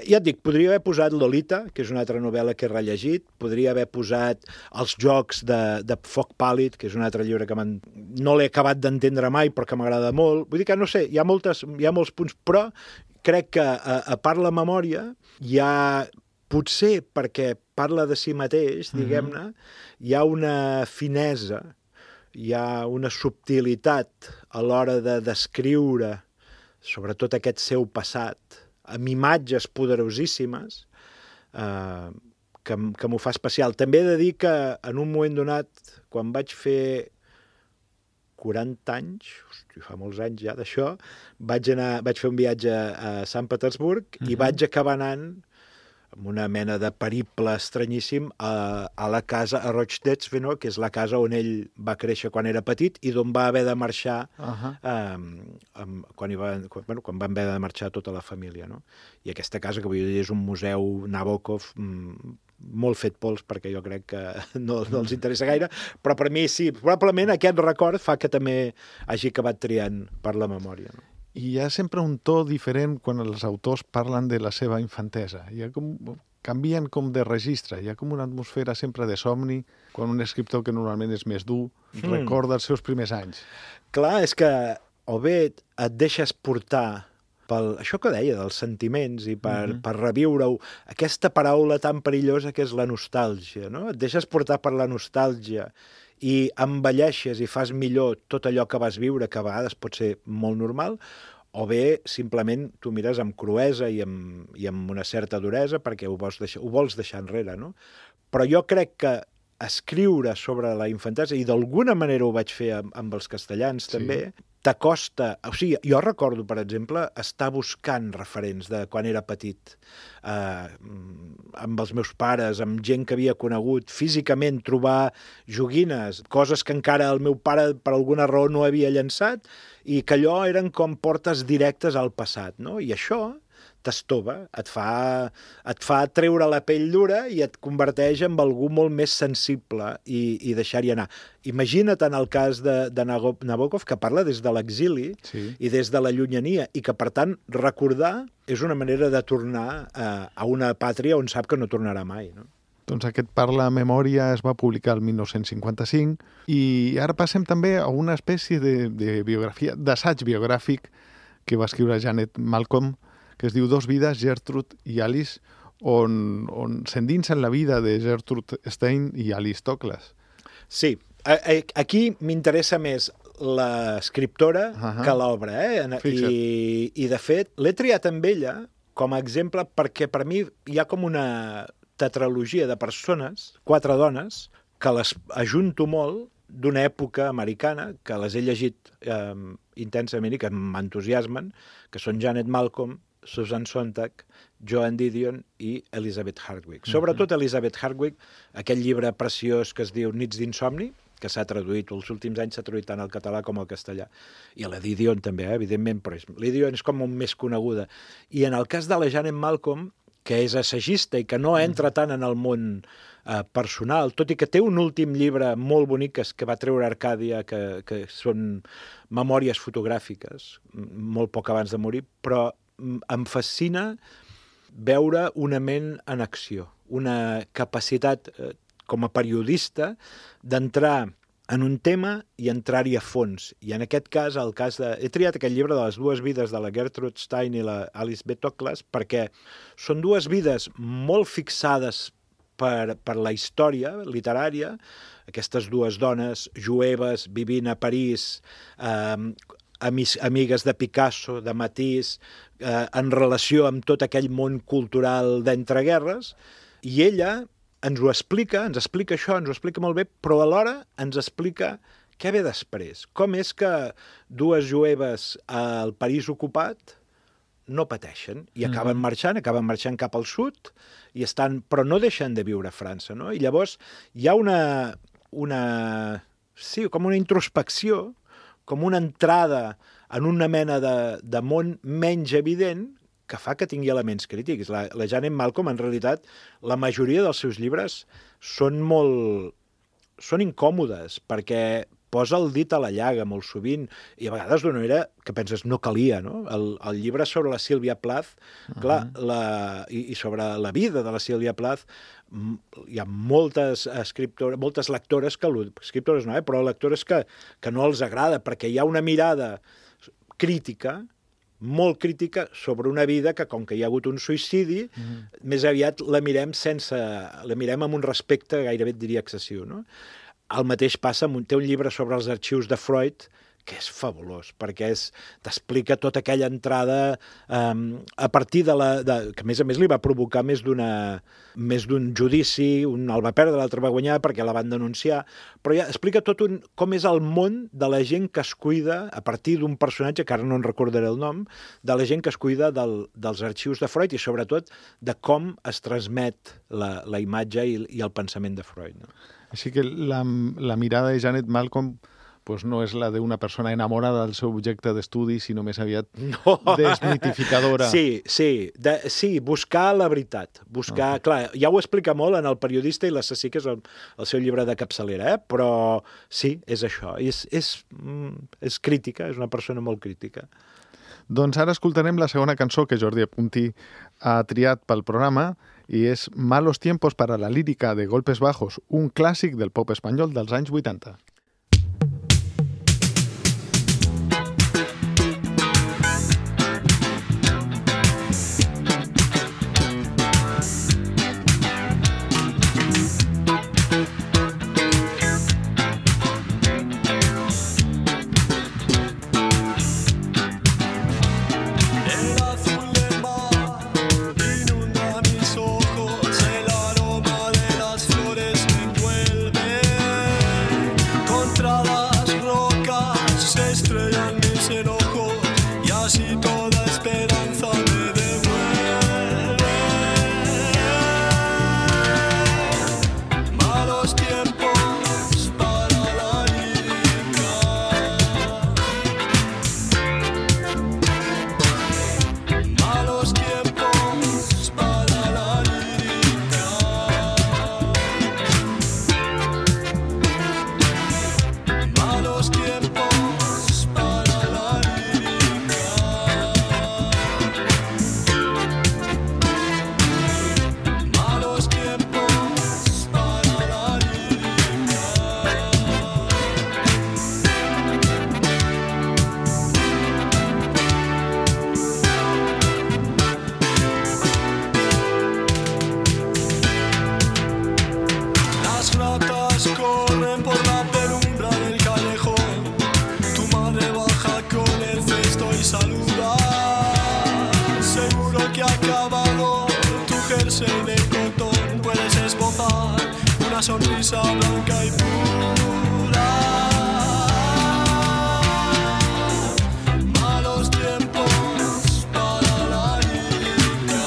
ja et dic, podria haver posat Lolita, que és una altra novel·la que he rellegit, podria haver posat Els jocs de, de Foc Pàl·lid, que és un altre llibre que no l'he acabat d'entendre mai, però que m'agrada molt. Vull dir que, no sé, hi ha, moltes, hi ha molts punts, però crec que a, a part la memòria hi ha, potser perquè parla de si mateix, diguem-ne, hi ha una finesa, hi ha una subtilitat a l'hora de descriure sobretot aquest seu passat amb imatges poderosíssimes eh, que, que m'ho fa especial. També he de dir que en un moment donat, quan vaig fer quaranta anys, hosti, fa molts anys ja d'això, vaig, anar, vaig fer un viatge a Sant Petersburg uh-huh. i vaig acabar anant amb una mena de periple estranyíssim a, a la casa, a Rochdestveno, que és la casa on ell va créixer quan era petit i d'on va haver de marxar uh-huh. eh, amb, quan, hi va, quan, bueno, quan van haver de marxar tota la família. No? I aquesta casa, que vull dir, és un museu Nabokov mm, molt fet pols, perquè jo crec que no, no els interessa gaire, però per mi sí, probablement aquest record fa que també hagi acabat triant per la memòria. No? I hi ha sempre un to diferent quan els autors parlen de la seva infantesa. Hi ha com, canvien com de registre, hi ha com una atmosfera sempre de somni, quan un escriptor que normalment és més dur mm. recorda els seus primers anys. Clar, és que o bé et deixes portar pel això que deia, dels sentiments i per, mm-hmm. per reviure-ho, aquesta paraula tan perillosa que és la nostàlgia, no? Et deixes portar per la nostàlgia i envelleixes i fas millor tot allò que vas viure, que a vegades pot ser molt normal, o bé simplement tu mires amb cruesa i amb, i amb una certa duresa perquè ho vols deixar, ho vols deixar enrere, no? Però jo crec que escriure sobre la infantesa, i d'alguna manera ho vaig fer amb, amb els castellans sí. també, t'acosta... O sigui, jo recordo, per exemple, estar buscant referents de quan era petit, eh, amb els meus pares, amb gent que havia conegut, físicament trobar joguines, coses que encara el meu pare per alguna raó no havia llançat, i que allò eren com portes directes al passat, no? I això t'estova, et fa, et fa treure la pell dura i et converteix en algú molt més sensible i, i deixar-hi anar. Imagina't en el cas de, de Nabokov, que parla des de l'exili Sí. i des de la llunyania, i que, per tant, recordar és una manera de tornar a, a una pàtria on sap que no tornarà mai, no? Doncs aquest Parla Memòria es va publicar el dinou cinquanta-cinc i ara passem també a una espècie de, de biografia, d'assaig biogràfic que va escriure Janet Malcolm, que es diu Dos vides, Gertrude i Alice, on, on s'endinsa en la vida de Gertrude Stein i Alice Toklas. Sí, a, a, aquí m'interessa més l'escriptora Ahà. que l'obra, eh? Fixa't. I, I, de fet, l'he triat amb ella com a exemple perquè per mi hi ha com una tetralogia de persones, quatre dones, que les ajunto molt d'una època americana, que les he llegit eh, intensament i que m'entusiasmen, que són Janet Malcolm, Susan Sontag, Joan Didion i Elizabeth Hardwick. Sobretot Elizabeth Hardwick, aquell llibre preciós que es diu Nits d'insomni, que s'ha traduït, els últims anys s'ha traduït tant al català com al castellà. I a la Didion també, eh, evidentment, però és, la Didion és com més coneguda. I en el cas de la Janet Malcolm, que és assagista i que no entra tant en el món eh, personal, tot i que té un últim llibre molt bonic que, que va treure Arcàdia, que, que són memòries fotogràfiques, molt poc abans de morir, però em fascina veure una ment en acció, una capacitat eh, com a periodista d'entrar en un tema i entrar-hi a fons. I en aquest cas, el cas de... he triat aquest llibre de les dues vides de la Gertrude Stein i la Alice B. Toklas perquè són dues vides molt fixades per, per la història literària, aquestes dues dones jueves vivint a París, eh, amis, amigues de Picasso, de Matisse, eh, en relació amb tot aquell món cultural d'entreguerres, i ella ens ho explica, ens explica això, ens ho explica molt bé, però alhora ens explica què ve després. Com és que dues jueves al París ocupat no pateixen i acaben mm-hmm. marxant, acaben marxant cap al sud, i estan, però no deixen de viure a França, no? I llavors hi ha una, una, sí, com una introspecció, com una entrada en una mena de, de món menys evident que fa que tingui elements crítics. La, la Janet Malcolm, en realitat, la majoria dels seus llibres són molt... són incòmodes, perquè posa el dit a la llaga molt sovint, i a vegades d'una manera que penses no calia, no? El, el llibre sobre la Sílvia Plath, uh-huh. clar, la, i, i sobre la vida de la Sílvia Plath, hi ha moltes escriptores, moltes lectores que... escriptores no, eh? però lectores que, que no els agrada, perquè hi ha una mirada crítica, molt crítica sobre una vida que, com que hi ha hagut un suïcidi, mm-hmm. més aviat la mirem sense... la mirem amb un respecte gairebé et diria excessiu, no? El mateix passa amb un, té un llibre sobre els arxius de Freud que és fabulós, perquè és, t'explica tota aquella entrada um, a partir de la... De, que a més a més li va provocar més d'una més d'un judici, un el va perdre, l'altre va guanyar perquè la van denunciar, però ja explica tot un, com és el món de la gent que es cuida, a partir d'un personatge, que ara no en recordaré el nom, de la gent que es cuida del, dels arxius de Freud i sobretot de com es transmet la, la imatge i, i el pensament de Freud. No? Així que la, la mirada de Janet Malcolm pues no és la d'una persona enamorada del seu objecte d'estudi, sinó més aviat no. desmitificadora. Sí, sí, de, sí, buscar la veritat. Buscar, okay. Clar, ja ho explica molt en El periodista i l'assassí, que és el, el seu llibre de capçalera, eh? Però sí, és això. És, és, és crítica, és una persona molt crítica. Doncs ara escoltarem la segona cançó que Jordi Puntí ha triat pel programa i és Malos tiempos para la lírica de Golpes Bajos, un clàssic del pop espanyol dels anys vuitanta. Con una sonrisa blanca y pura. Malos tiempos para la lírica.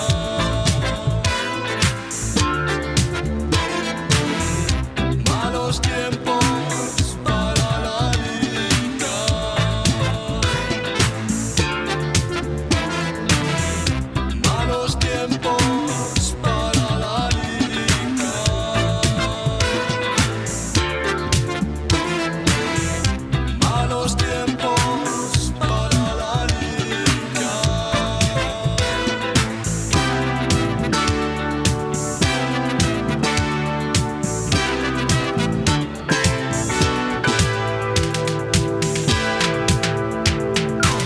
Malos tiempos para la lírica. Malos tiempos para la lírica. Malos tiempos para la lírica.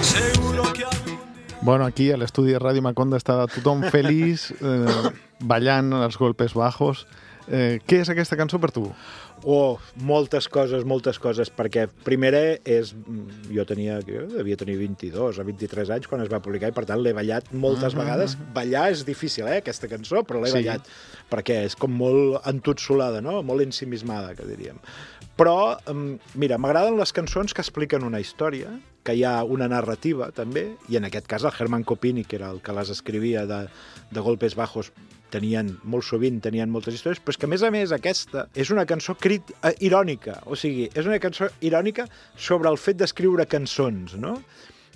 Seguro que algún día. Bueno, aquí a l'estudi de Ràdio Maconda està tothom feliç, eh, ballant els golpes bajos. Eh, què és aquesta cançó per tu? Oh, moltes coses, moltes coses, perquè primera és... Jo tenia, jo devia tenir vint-i-dos o vint-i-tres anys quan es va publicar i per tant l'he ballat moltes Ah. vegades. Ballar és difícil, eh, aquesta cançó, però l'he Sí. ballat, perquè és com molt entotsolada, no? Molt ensimismada, que diríem. Però, em, mira, m'agraden les cançons que expliquen una història, que hi ha una narrativa, també, i en aquest cas el Herman Kopini, que era el que les escrivia de, de Golpes Bajos, tenien, molt sovint tenien moltes històries, però és que, a més a més, aquesta és una cançó crit, eh, irònica, o sigui, és una cançó irònica sobre el fet d'escriure cançons, no?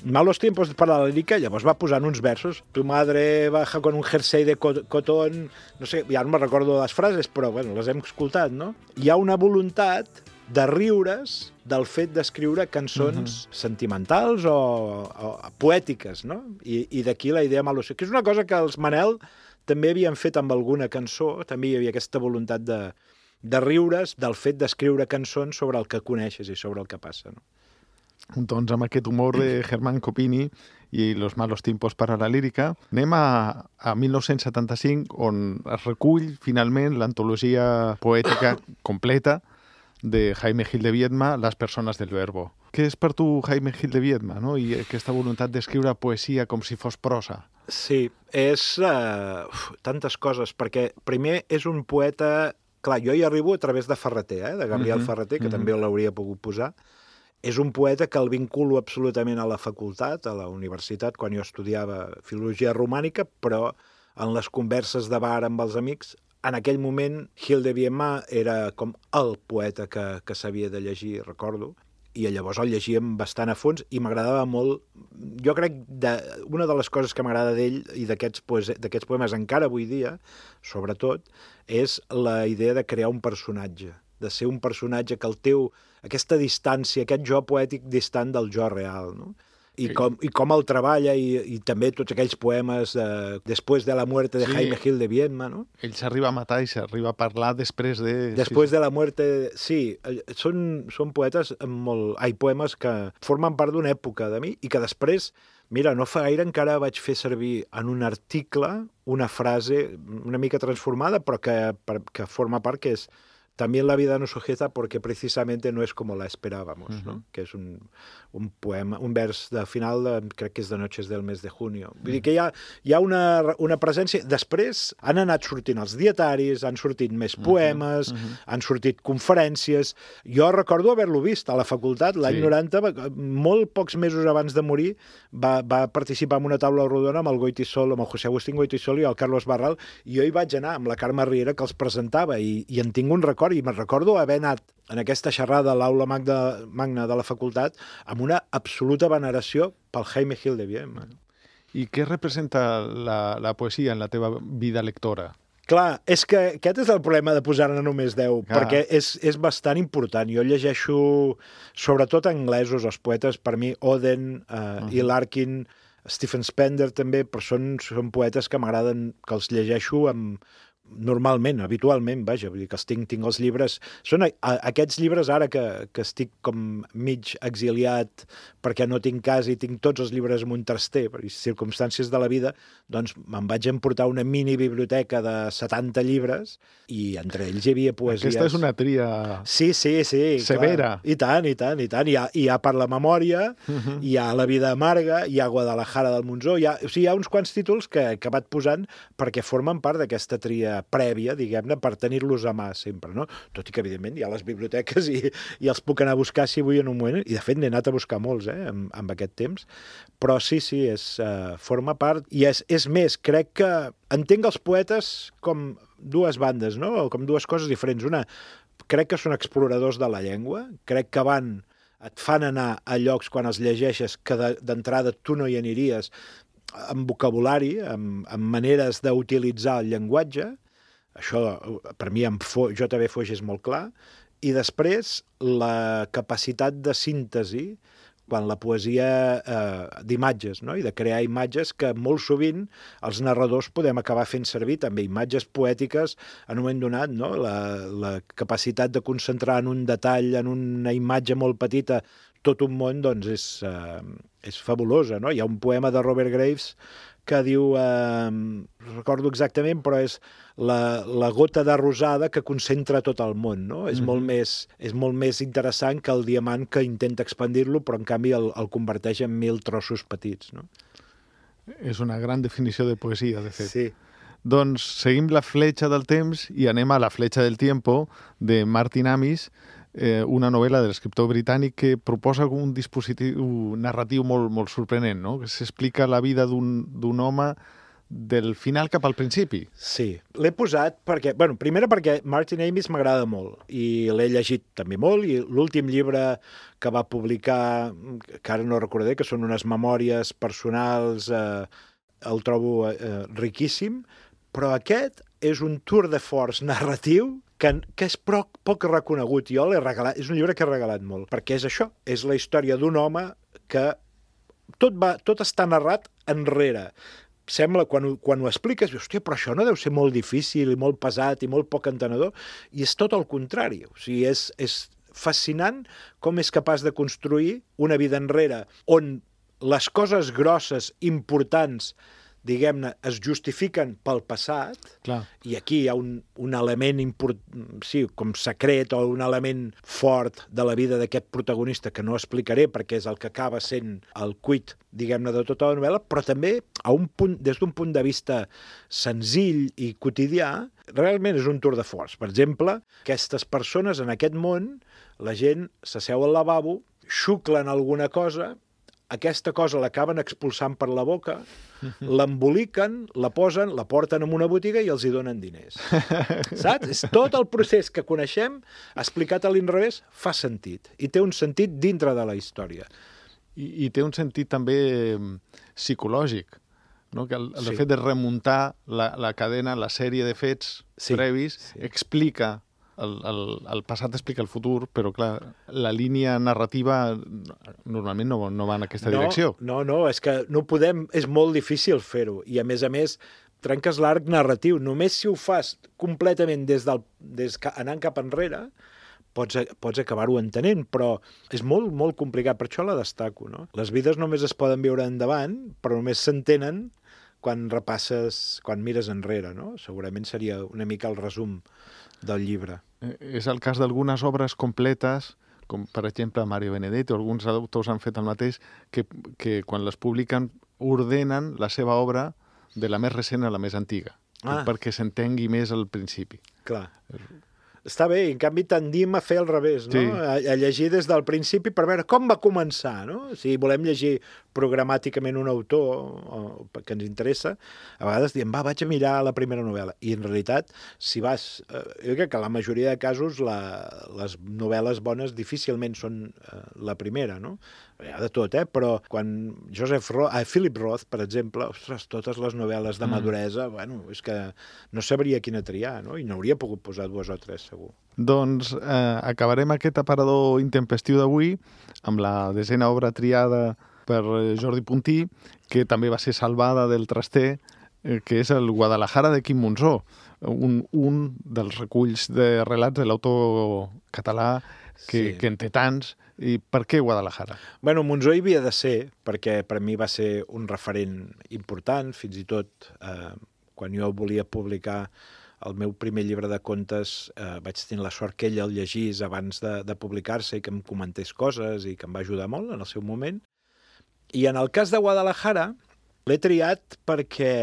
Malos tiempos para la lírica, llavors va posant uns versos. Tu madre baja con un jersei de co- cotón... No sé, ja no me recordo les frases, però bueno, les hem escoltat, no? Hi ha una voluntat de riure's del fet d'escriure cançons uh-huh. sentimentals o, o poètiques, no? I, i d'aquí la idea Malos, que és una cosa que els Manel també havien fet amb alguna cançó, també hi havia aquesta voluntat de, de riure's del fet d'escriure cançons sobre el que coneixes i sobre el que passa, no? Doncs amb aquest humor de Herman Kopini i Los malos tiempos para la lírica, anem a, a mil nou-cents setanta-cinc, on es recull finalment l'antologia poètica completa de Jaime Gil de Viedma, Las personas del verbo. Què és per tu Jaime Gil de Viedma, no? I aquesta voluntat d'escriure poesia com si fos prosa? Sí, és uh, uf, tantes coses, perquè primer és un poeta... Clar, jo hi arribo a través de Ferreter, eh? de Gabriel Mhm, Ferreter, que mhm. també l'hauria pogut posar. És un poeta que el vinculo absolutament a la facultat, a la universitat, quan jo estudiava filologia romànica, però en les converses de bar amb els amics, en aquell moment Gil de Viedma era com el poeta que, que s'havia de llegir, recordo, i llavors el llegíem bastant a fons i m'agradava molt. Jo crec que una de les coses que m'agrada d'ell i d'aquests poes- d'aquests poemes encara avui dia, sobretot, és la idea de crear un personatge, de ser un personatge que el teu, aquesta distància, aquest jo poètic distant del jo real, no? I com, i com el treballa, i, i també tots aquells poemes de, Después de la muerte de Sí. Jaime Gil de Viedma, no? Ell s'arriba a matar i s'arriba a parlar després de... Després de la muerte... Sí, eh, són, són poetes amb molt... Ai, poemes que formen part d'una època de mi i que després, mira, no fa gaire encara vaig fer servir en un article una frase una mica transformada, però que, per, que forma part, que és También la vida nos sujeta porque precisamente no es como la esperábamos, uh-huh. ¿no? Que és un, un poema, un vers de final, de, crec que és de Noches del mes de junio. Vull uh-huh. dir que hi ha, hi ha una, una presència... Després han anat sortint els dietaris, han sortit més poemes, uh-huh. Uh-huh. han sortit conferències... Jo recordo haver-lo vist a la facultat l'any sí. noranta, molt pocs mesos abans de morir, va, va participar en una taula rodona amb el Goitisol, amb el José Agustín Goitisol i el Carlos Barral, i jo hi vaig anar amb la Carme Riera, que els presentava, i, i en tinc un record, i me'n recordo haver anat en aquesta xerrada a l'aula magna, magna de la facultat amb una absoluta veneració pel Jaime Gil de Viedma. I què representa la, la poesia en la teva vida lectora? Clar, és que aquest és el problema de posar-ne només deu, ah. perquè és, és bastant important. Jo llegeixo, sobretot anglesos, els poetes, per mi, Oden, uh, uh-huh. i Larkin, Stephen Spender també, però són, són poetes que m'agraden, que els llegeixo amb... normalment, habitualment, vaja, vull dir que els tinc, tinc els llibres... Són a, a, aquests llibres ara que, que estic com mig exiliat perquè no tinc casa i tinc tots els llibres en un traster, per circumstàncies de la vida, doncs me'n vaig emportar una mini biblioteca de setanta llibres i entre ells hi havia poesies... Aquesta és una tria... Sí, sí, sí. Severa. Clar. I tant, i tant, i tant. Hi ha, hi ha Per la memòria, uh-huh. hi ha La vida amarga, hi ha Guadalajara del Monzó, hi ha, o sigui, hi ha uns quants títols que he acabat posant perquè formen part d'aquesta tria prèvia, diguem-ne, per tenir-los a mà sempre, no? Tot i que, evidentment, hi ha les biblioteques i, i els puc anar a buscar si vull en un moment, i de fet n'he anat a buscar molts, eh, amb, amb aquest temps, però sí, sí, és, uh, forma part, i és, és més, crec que entenc els poetes com dues bandes, no? O com dues coses diferents. Una, crec que són exploradors de la llengua, crec que van, et fan anar a llocs quan els llegeixes que d'entrada tu no hi aniries, amb vocabulari, amb, amb maneres d'utilitzar el llenguatge. Això, per mi, amb J V Foix és molt clar. I després, la capacitat de síntesi, quan la poesia eh, d'imatges, no? I de crear imatges que molt sovint els narradors podem acabar fent servir també imatges poètiques en un moment donat, no? La, la capacitat de concentrar en un detall, en una imatge molt petita, tot un món, doncs és, eh, és fabulosa, no? Hi ha un poema de Robert Graves que diu, eh, no recordo exactament, però és la, la gota de rosada que concentra tot el món, no? És, mm-hmm. molt més, és molt més interessant que el diamant que intenta expandir-lo, però en canvi el, el converteix en mil trossos petits, no? És una gran definició de poesia, de fet. Sí. Doncs seguim la fletxa del temps i anem a La fletxa del tiempo, de Martin Amis, eh, una novel·la de l'escriptor britànic que proposa un dispositiu narratiu molt, molt sorprenent, no? Que s'explica la vida d'un home del final cap al principi. Sí, l'he posat perquè, bueno, primera perquè Martin Amis m'agrada molt i l'he llegit també molt, i l'últim llibre que va publicar, que ara no recordaré, que són unes memòries personals, eh, el trobo eh, riquíssim, però aquest és un tour de force narratiu que, que és poc, poc reconegut. Jo l'he regalat, és un llibre que he regalat molt, perquè és això, és la història d'un home que tot, va, tot està narrat enrere. Sembla, quan, ho, quan ho expliques, dius, hòstia, però això no deu ser molt difícil i molt pesat i molt poc entenedor, i és tot el contrari. O sigui, és, és fascinant com és capaç de construir una vida enrere on les coses grosses, importants, diguem-ne, es justifiquen pel passat. Clar. I aquí hi ha un, un element import, sí, com secret o un element fort de la vida d'aquest protagonista que no explicaré perquè és el que acaba sent el quid, diguem-ne, de tota la novel·la, però també a un punt, des d'un punt de vista senzill i quotidià, realment és un tour de force. Per exemple, aquestes persones en aquest món, la gent s'asseu al lavabo, xuclen alguna cosa, aquesta cosa l'acaben expulsant per la boca, l'emboliquen, la posen, la porten en una botiga i els hi donen diners. Saps? És tot el procés que coneixem, explicat a l'inrevés, fa sentit. I té un sentit dintre de la història. I, i té un sentit també psicològic, no? Que el, el Sí. fet de remuntar la, la cadena, la sèrie de fets Sí, previs, sí. explica el, el, el passat explica el futur, però clar, la línia narrativa normalment no, no va en aquesta no, direcció. No, no, és que no podem, és molt difícil fer-ho. I a més a més, trenques l'arc narratiu. Només si ho fas completament des del, des, anant cap enrere, pots, pots acabar-ho entenent, però és molt, molt complicat. Per això la destaco, no? Les vides només es poden viure endavant, però només s'entenen quan repasses, quan mires enrere, no? Segurament seria una mica el resum del llibre. Eh, És el cas d'algunes obres completes, com per exemple Mario Benedetti, o alguns autors han fet el mateix, que, que quan les publiquen ordenen la seva obra de la més recent a la més antiga, Ah. perquè s'entengui més al principi. Clar. Està bé, en canvi tendim a fer al revés, no? Sí. A, a llegir des del principi per veure com va començar, no? Si volem llegir programàticament un autor o, que ens interessa, a vegades diem, va, vaig a mirar la primera novel·la. I en realitat, si vas... Eh, jo crec que la majoria de casos la, les novel·les bones difícilment són eh, la primera, no? Hi ha de tot, eh? Però quan Joseph Roth, ah, Philip Roth, per exemple, ostres, totes les novel·les de maduresa, mm. bueno, és que no sabria quina triar, no? I n'hauria pogut posar dues o tres, segur. Doncs eh, acabarem aquest aparador intempestiu d'avui amb la desena obra triada per Jordi Puntí, que també va ser salvada del traster, eh, que és el Guadalajara de Quim Monzó, un, un dels reculls de relats de l'autor català que, Sí. que en té tants. I per què Guadalajara? Bueno, Monzó hi havia de ser, perquè per mi va ser un referent important, fins i tot eh, quan jo volia publicar el meu primer llibre de contes, eh, vaig tenir la sort que ell el llegís abans de, de publicar-se i que em comentés coses i que em va ajudar molt en el seu moment. I en el cas de Guadalajara l'he triat perquè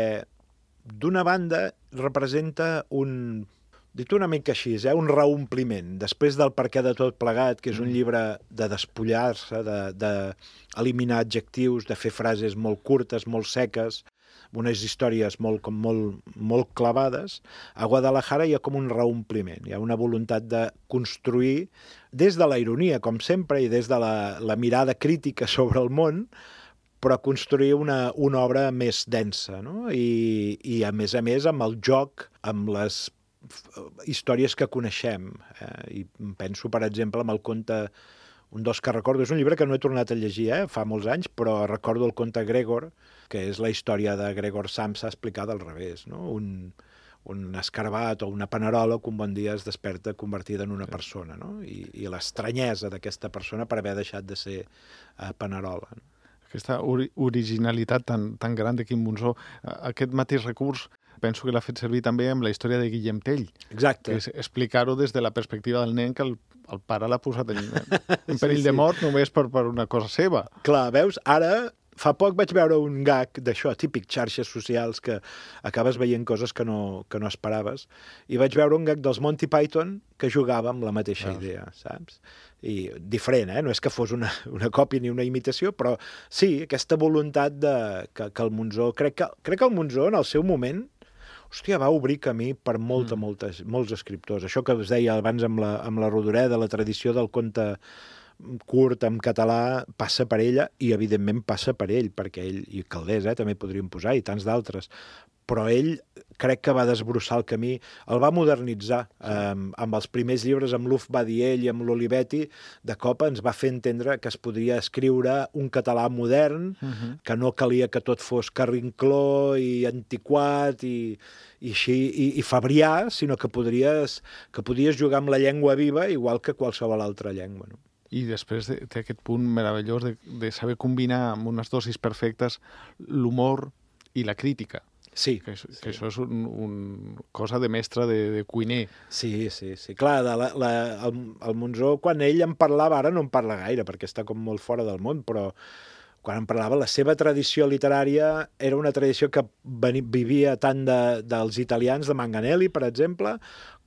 d'una banda, representa un, dit una mica així, eh? un reompliment. Després del Per què de tot plegat, que és un llibre de despullar-se, d'eliminar de, de adjectius, de fer frases molt curtes, molt seques, unes històries molt, com molt, molt clavades, a Guadalajara hi ha com un reompliment, hi ha una voluntat de construir, des de la ironia, com sempre, i des de la, la mirada crítica sobre el món, però construir una, una obra més densa, no? I, i a més a més amb el joc, amb les històries que coneixem. Eh? I penso, per exemple, amb el conte, un dels que recordo, és un llibre que no he tornat a llegir, eh? fa molts anys, però recordo el conte Gregor, que és la història de Gregor Samsa explicada al revés, no? Un, un escarabat o una panerola que un bon dia es desperta convertida en una sí. persona, no? I, i l'estranyesa d'aquesta persona per haver deixat de ser uh, panerola. No? Aquesta ori originalitat tan, tan gran de Quim Monzó, aquest mateix recurs penso que l'ha fet servir també amb la història de Guillem Tell. Exacte. Que és explicar-ho des de la perspectiva del nen que el, el pare l'ha posat en, en perill sí, sí. de mort només per, per una cosa seva. Clar, veus? Ara, fa poc vaig veure un gag d'això, típic xarxes socials, que acabes veient coses que no, que no esperaves, i vaig veure un gag dels Monty Python que jugava amb la mateixa veus. idea, saps? I diferent, eh? No és que fos una, una còpia ni una imitació, però sí, aquesta voluntat de, que, que el Monzó... Crec que, crec que el Monzó, en el seu moment, hòstia, va obrir camí per molta, mm. moltes, molts escriptors. Això que us deia abans amb la, amb la Rodoreda, la tradició del conte curt en català passa per ella i, evidentment, passa per ell, perquè ell, i Caldés, eh, també podríem posar, i tants d'altres, però ell crec que va desbrossar el camí, el va modernitzar. Sí. Um, amb els primers llibres, amb l'Uf Badiell i amb l'Olivetti, de cop ens va fer entendre que es podria escriure un català modern, uh -huh. que no calia que tot fos carrincló i antiquat i, i així, i, i fabrià, sinó que podries, que podies jugar amb la llengua viva igual que qualsevol altra llengua, no? I després té aquest punt meravellós de, de saber combinar amb unes dosis perfectes l'humor i la crítica. Sí. Que, és, sí. que això és un, un cosa de mestre, de, de cuiner. Sí, sí, sí. Clar, de la, la, el, el Monzó, quan ell en parlava, ara no en parla gaire, perquè està com molt fora del món, però quan en parlava, la seva tradició literària era una tradició que vivia tant de, dels italians, de Manganelli, per exemple,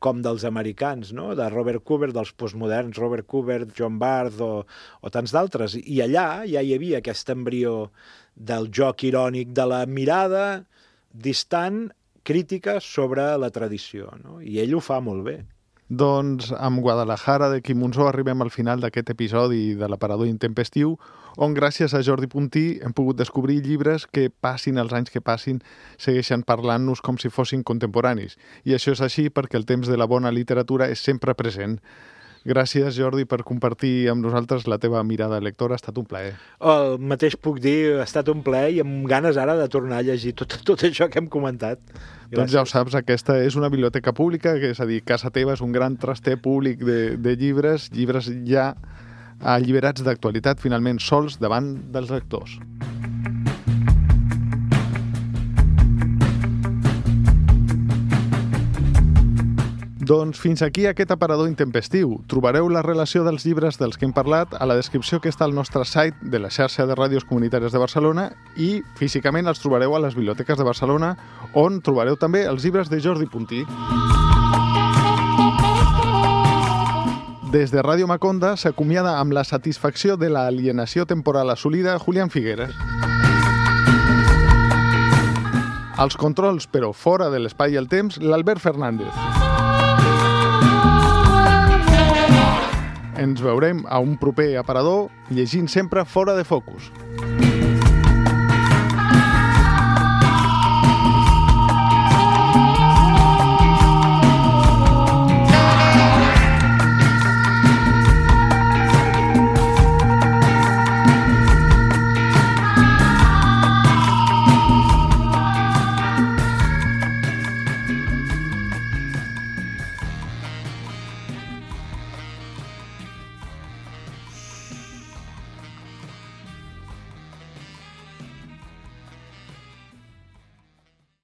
com dels americans, no? De Robert Kubert, dels postmoderns, Robert Kubert, John Barth o, o tants d'altres. I allà ja hi havia aquest embrió del joc irònic, de la mirada distant, crítica sobre la tradició, no? I ell ho fa molt bé. Doncs amb Guadalajara de Quim Monzó arribem al final d'aquest episodi de l'Aparador Intempestiu, on gràcies a Jordi Puntí hem pogut descobrir llibres que, passin els anys que passin, segueixen parlant-nos com si fossin contemporanis. I això és així perquè el temps de la bona literatura és sempre present. Gràcies, Jordi, per compartir amb nosaltres la teva mirada lectora. Ha estat un plaer. El mateix puc dir, ha estat un plaer i amb ganes ara de tornar a llegir tot, tot això que hem comentat. Gràcies. Doncs ja ho saps, aquesta és una biblioteca pública, que és a dir, casa teva és un gran traster públic de, de llibres, llibres ja alliberats d'actualitat, finalment sols davant dels lectors. Doncs fins aquí aquest aparador intempestiu. Trobareu la relació dels llibres dels que hem parlat a la descripció que està al nostre site de la xarxa de ràdios comunitàries de Barcelona i físicament els trobareu a les biblioteques de Barcelona, on trobareu també els llibres de Jordi Puntí. Des de Ràdio Maconda s'acomiada amb la satisfacció de l'alienació temporal assolida Julián Figueres. Als controls, però fora de l'espai i el temps, l'Albert Fernández. Ens veurem a un proper aparador llegint sempre Fora de Focus.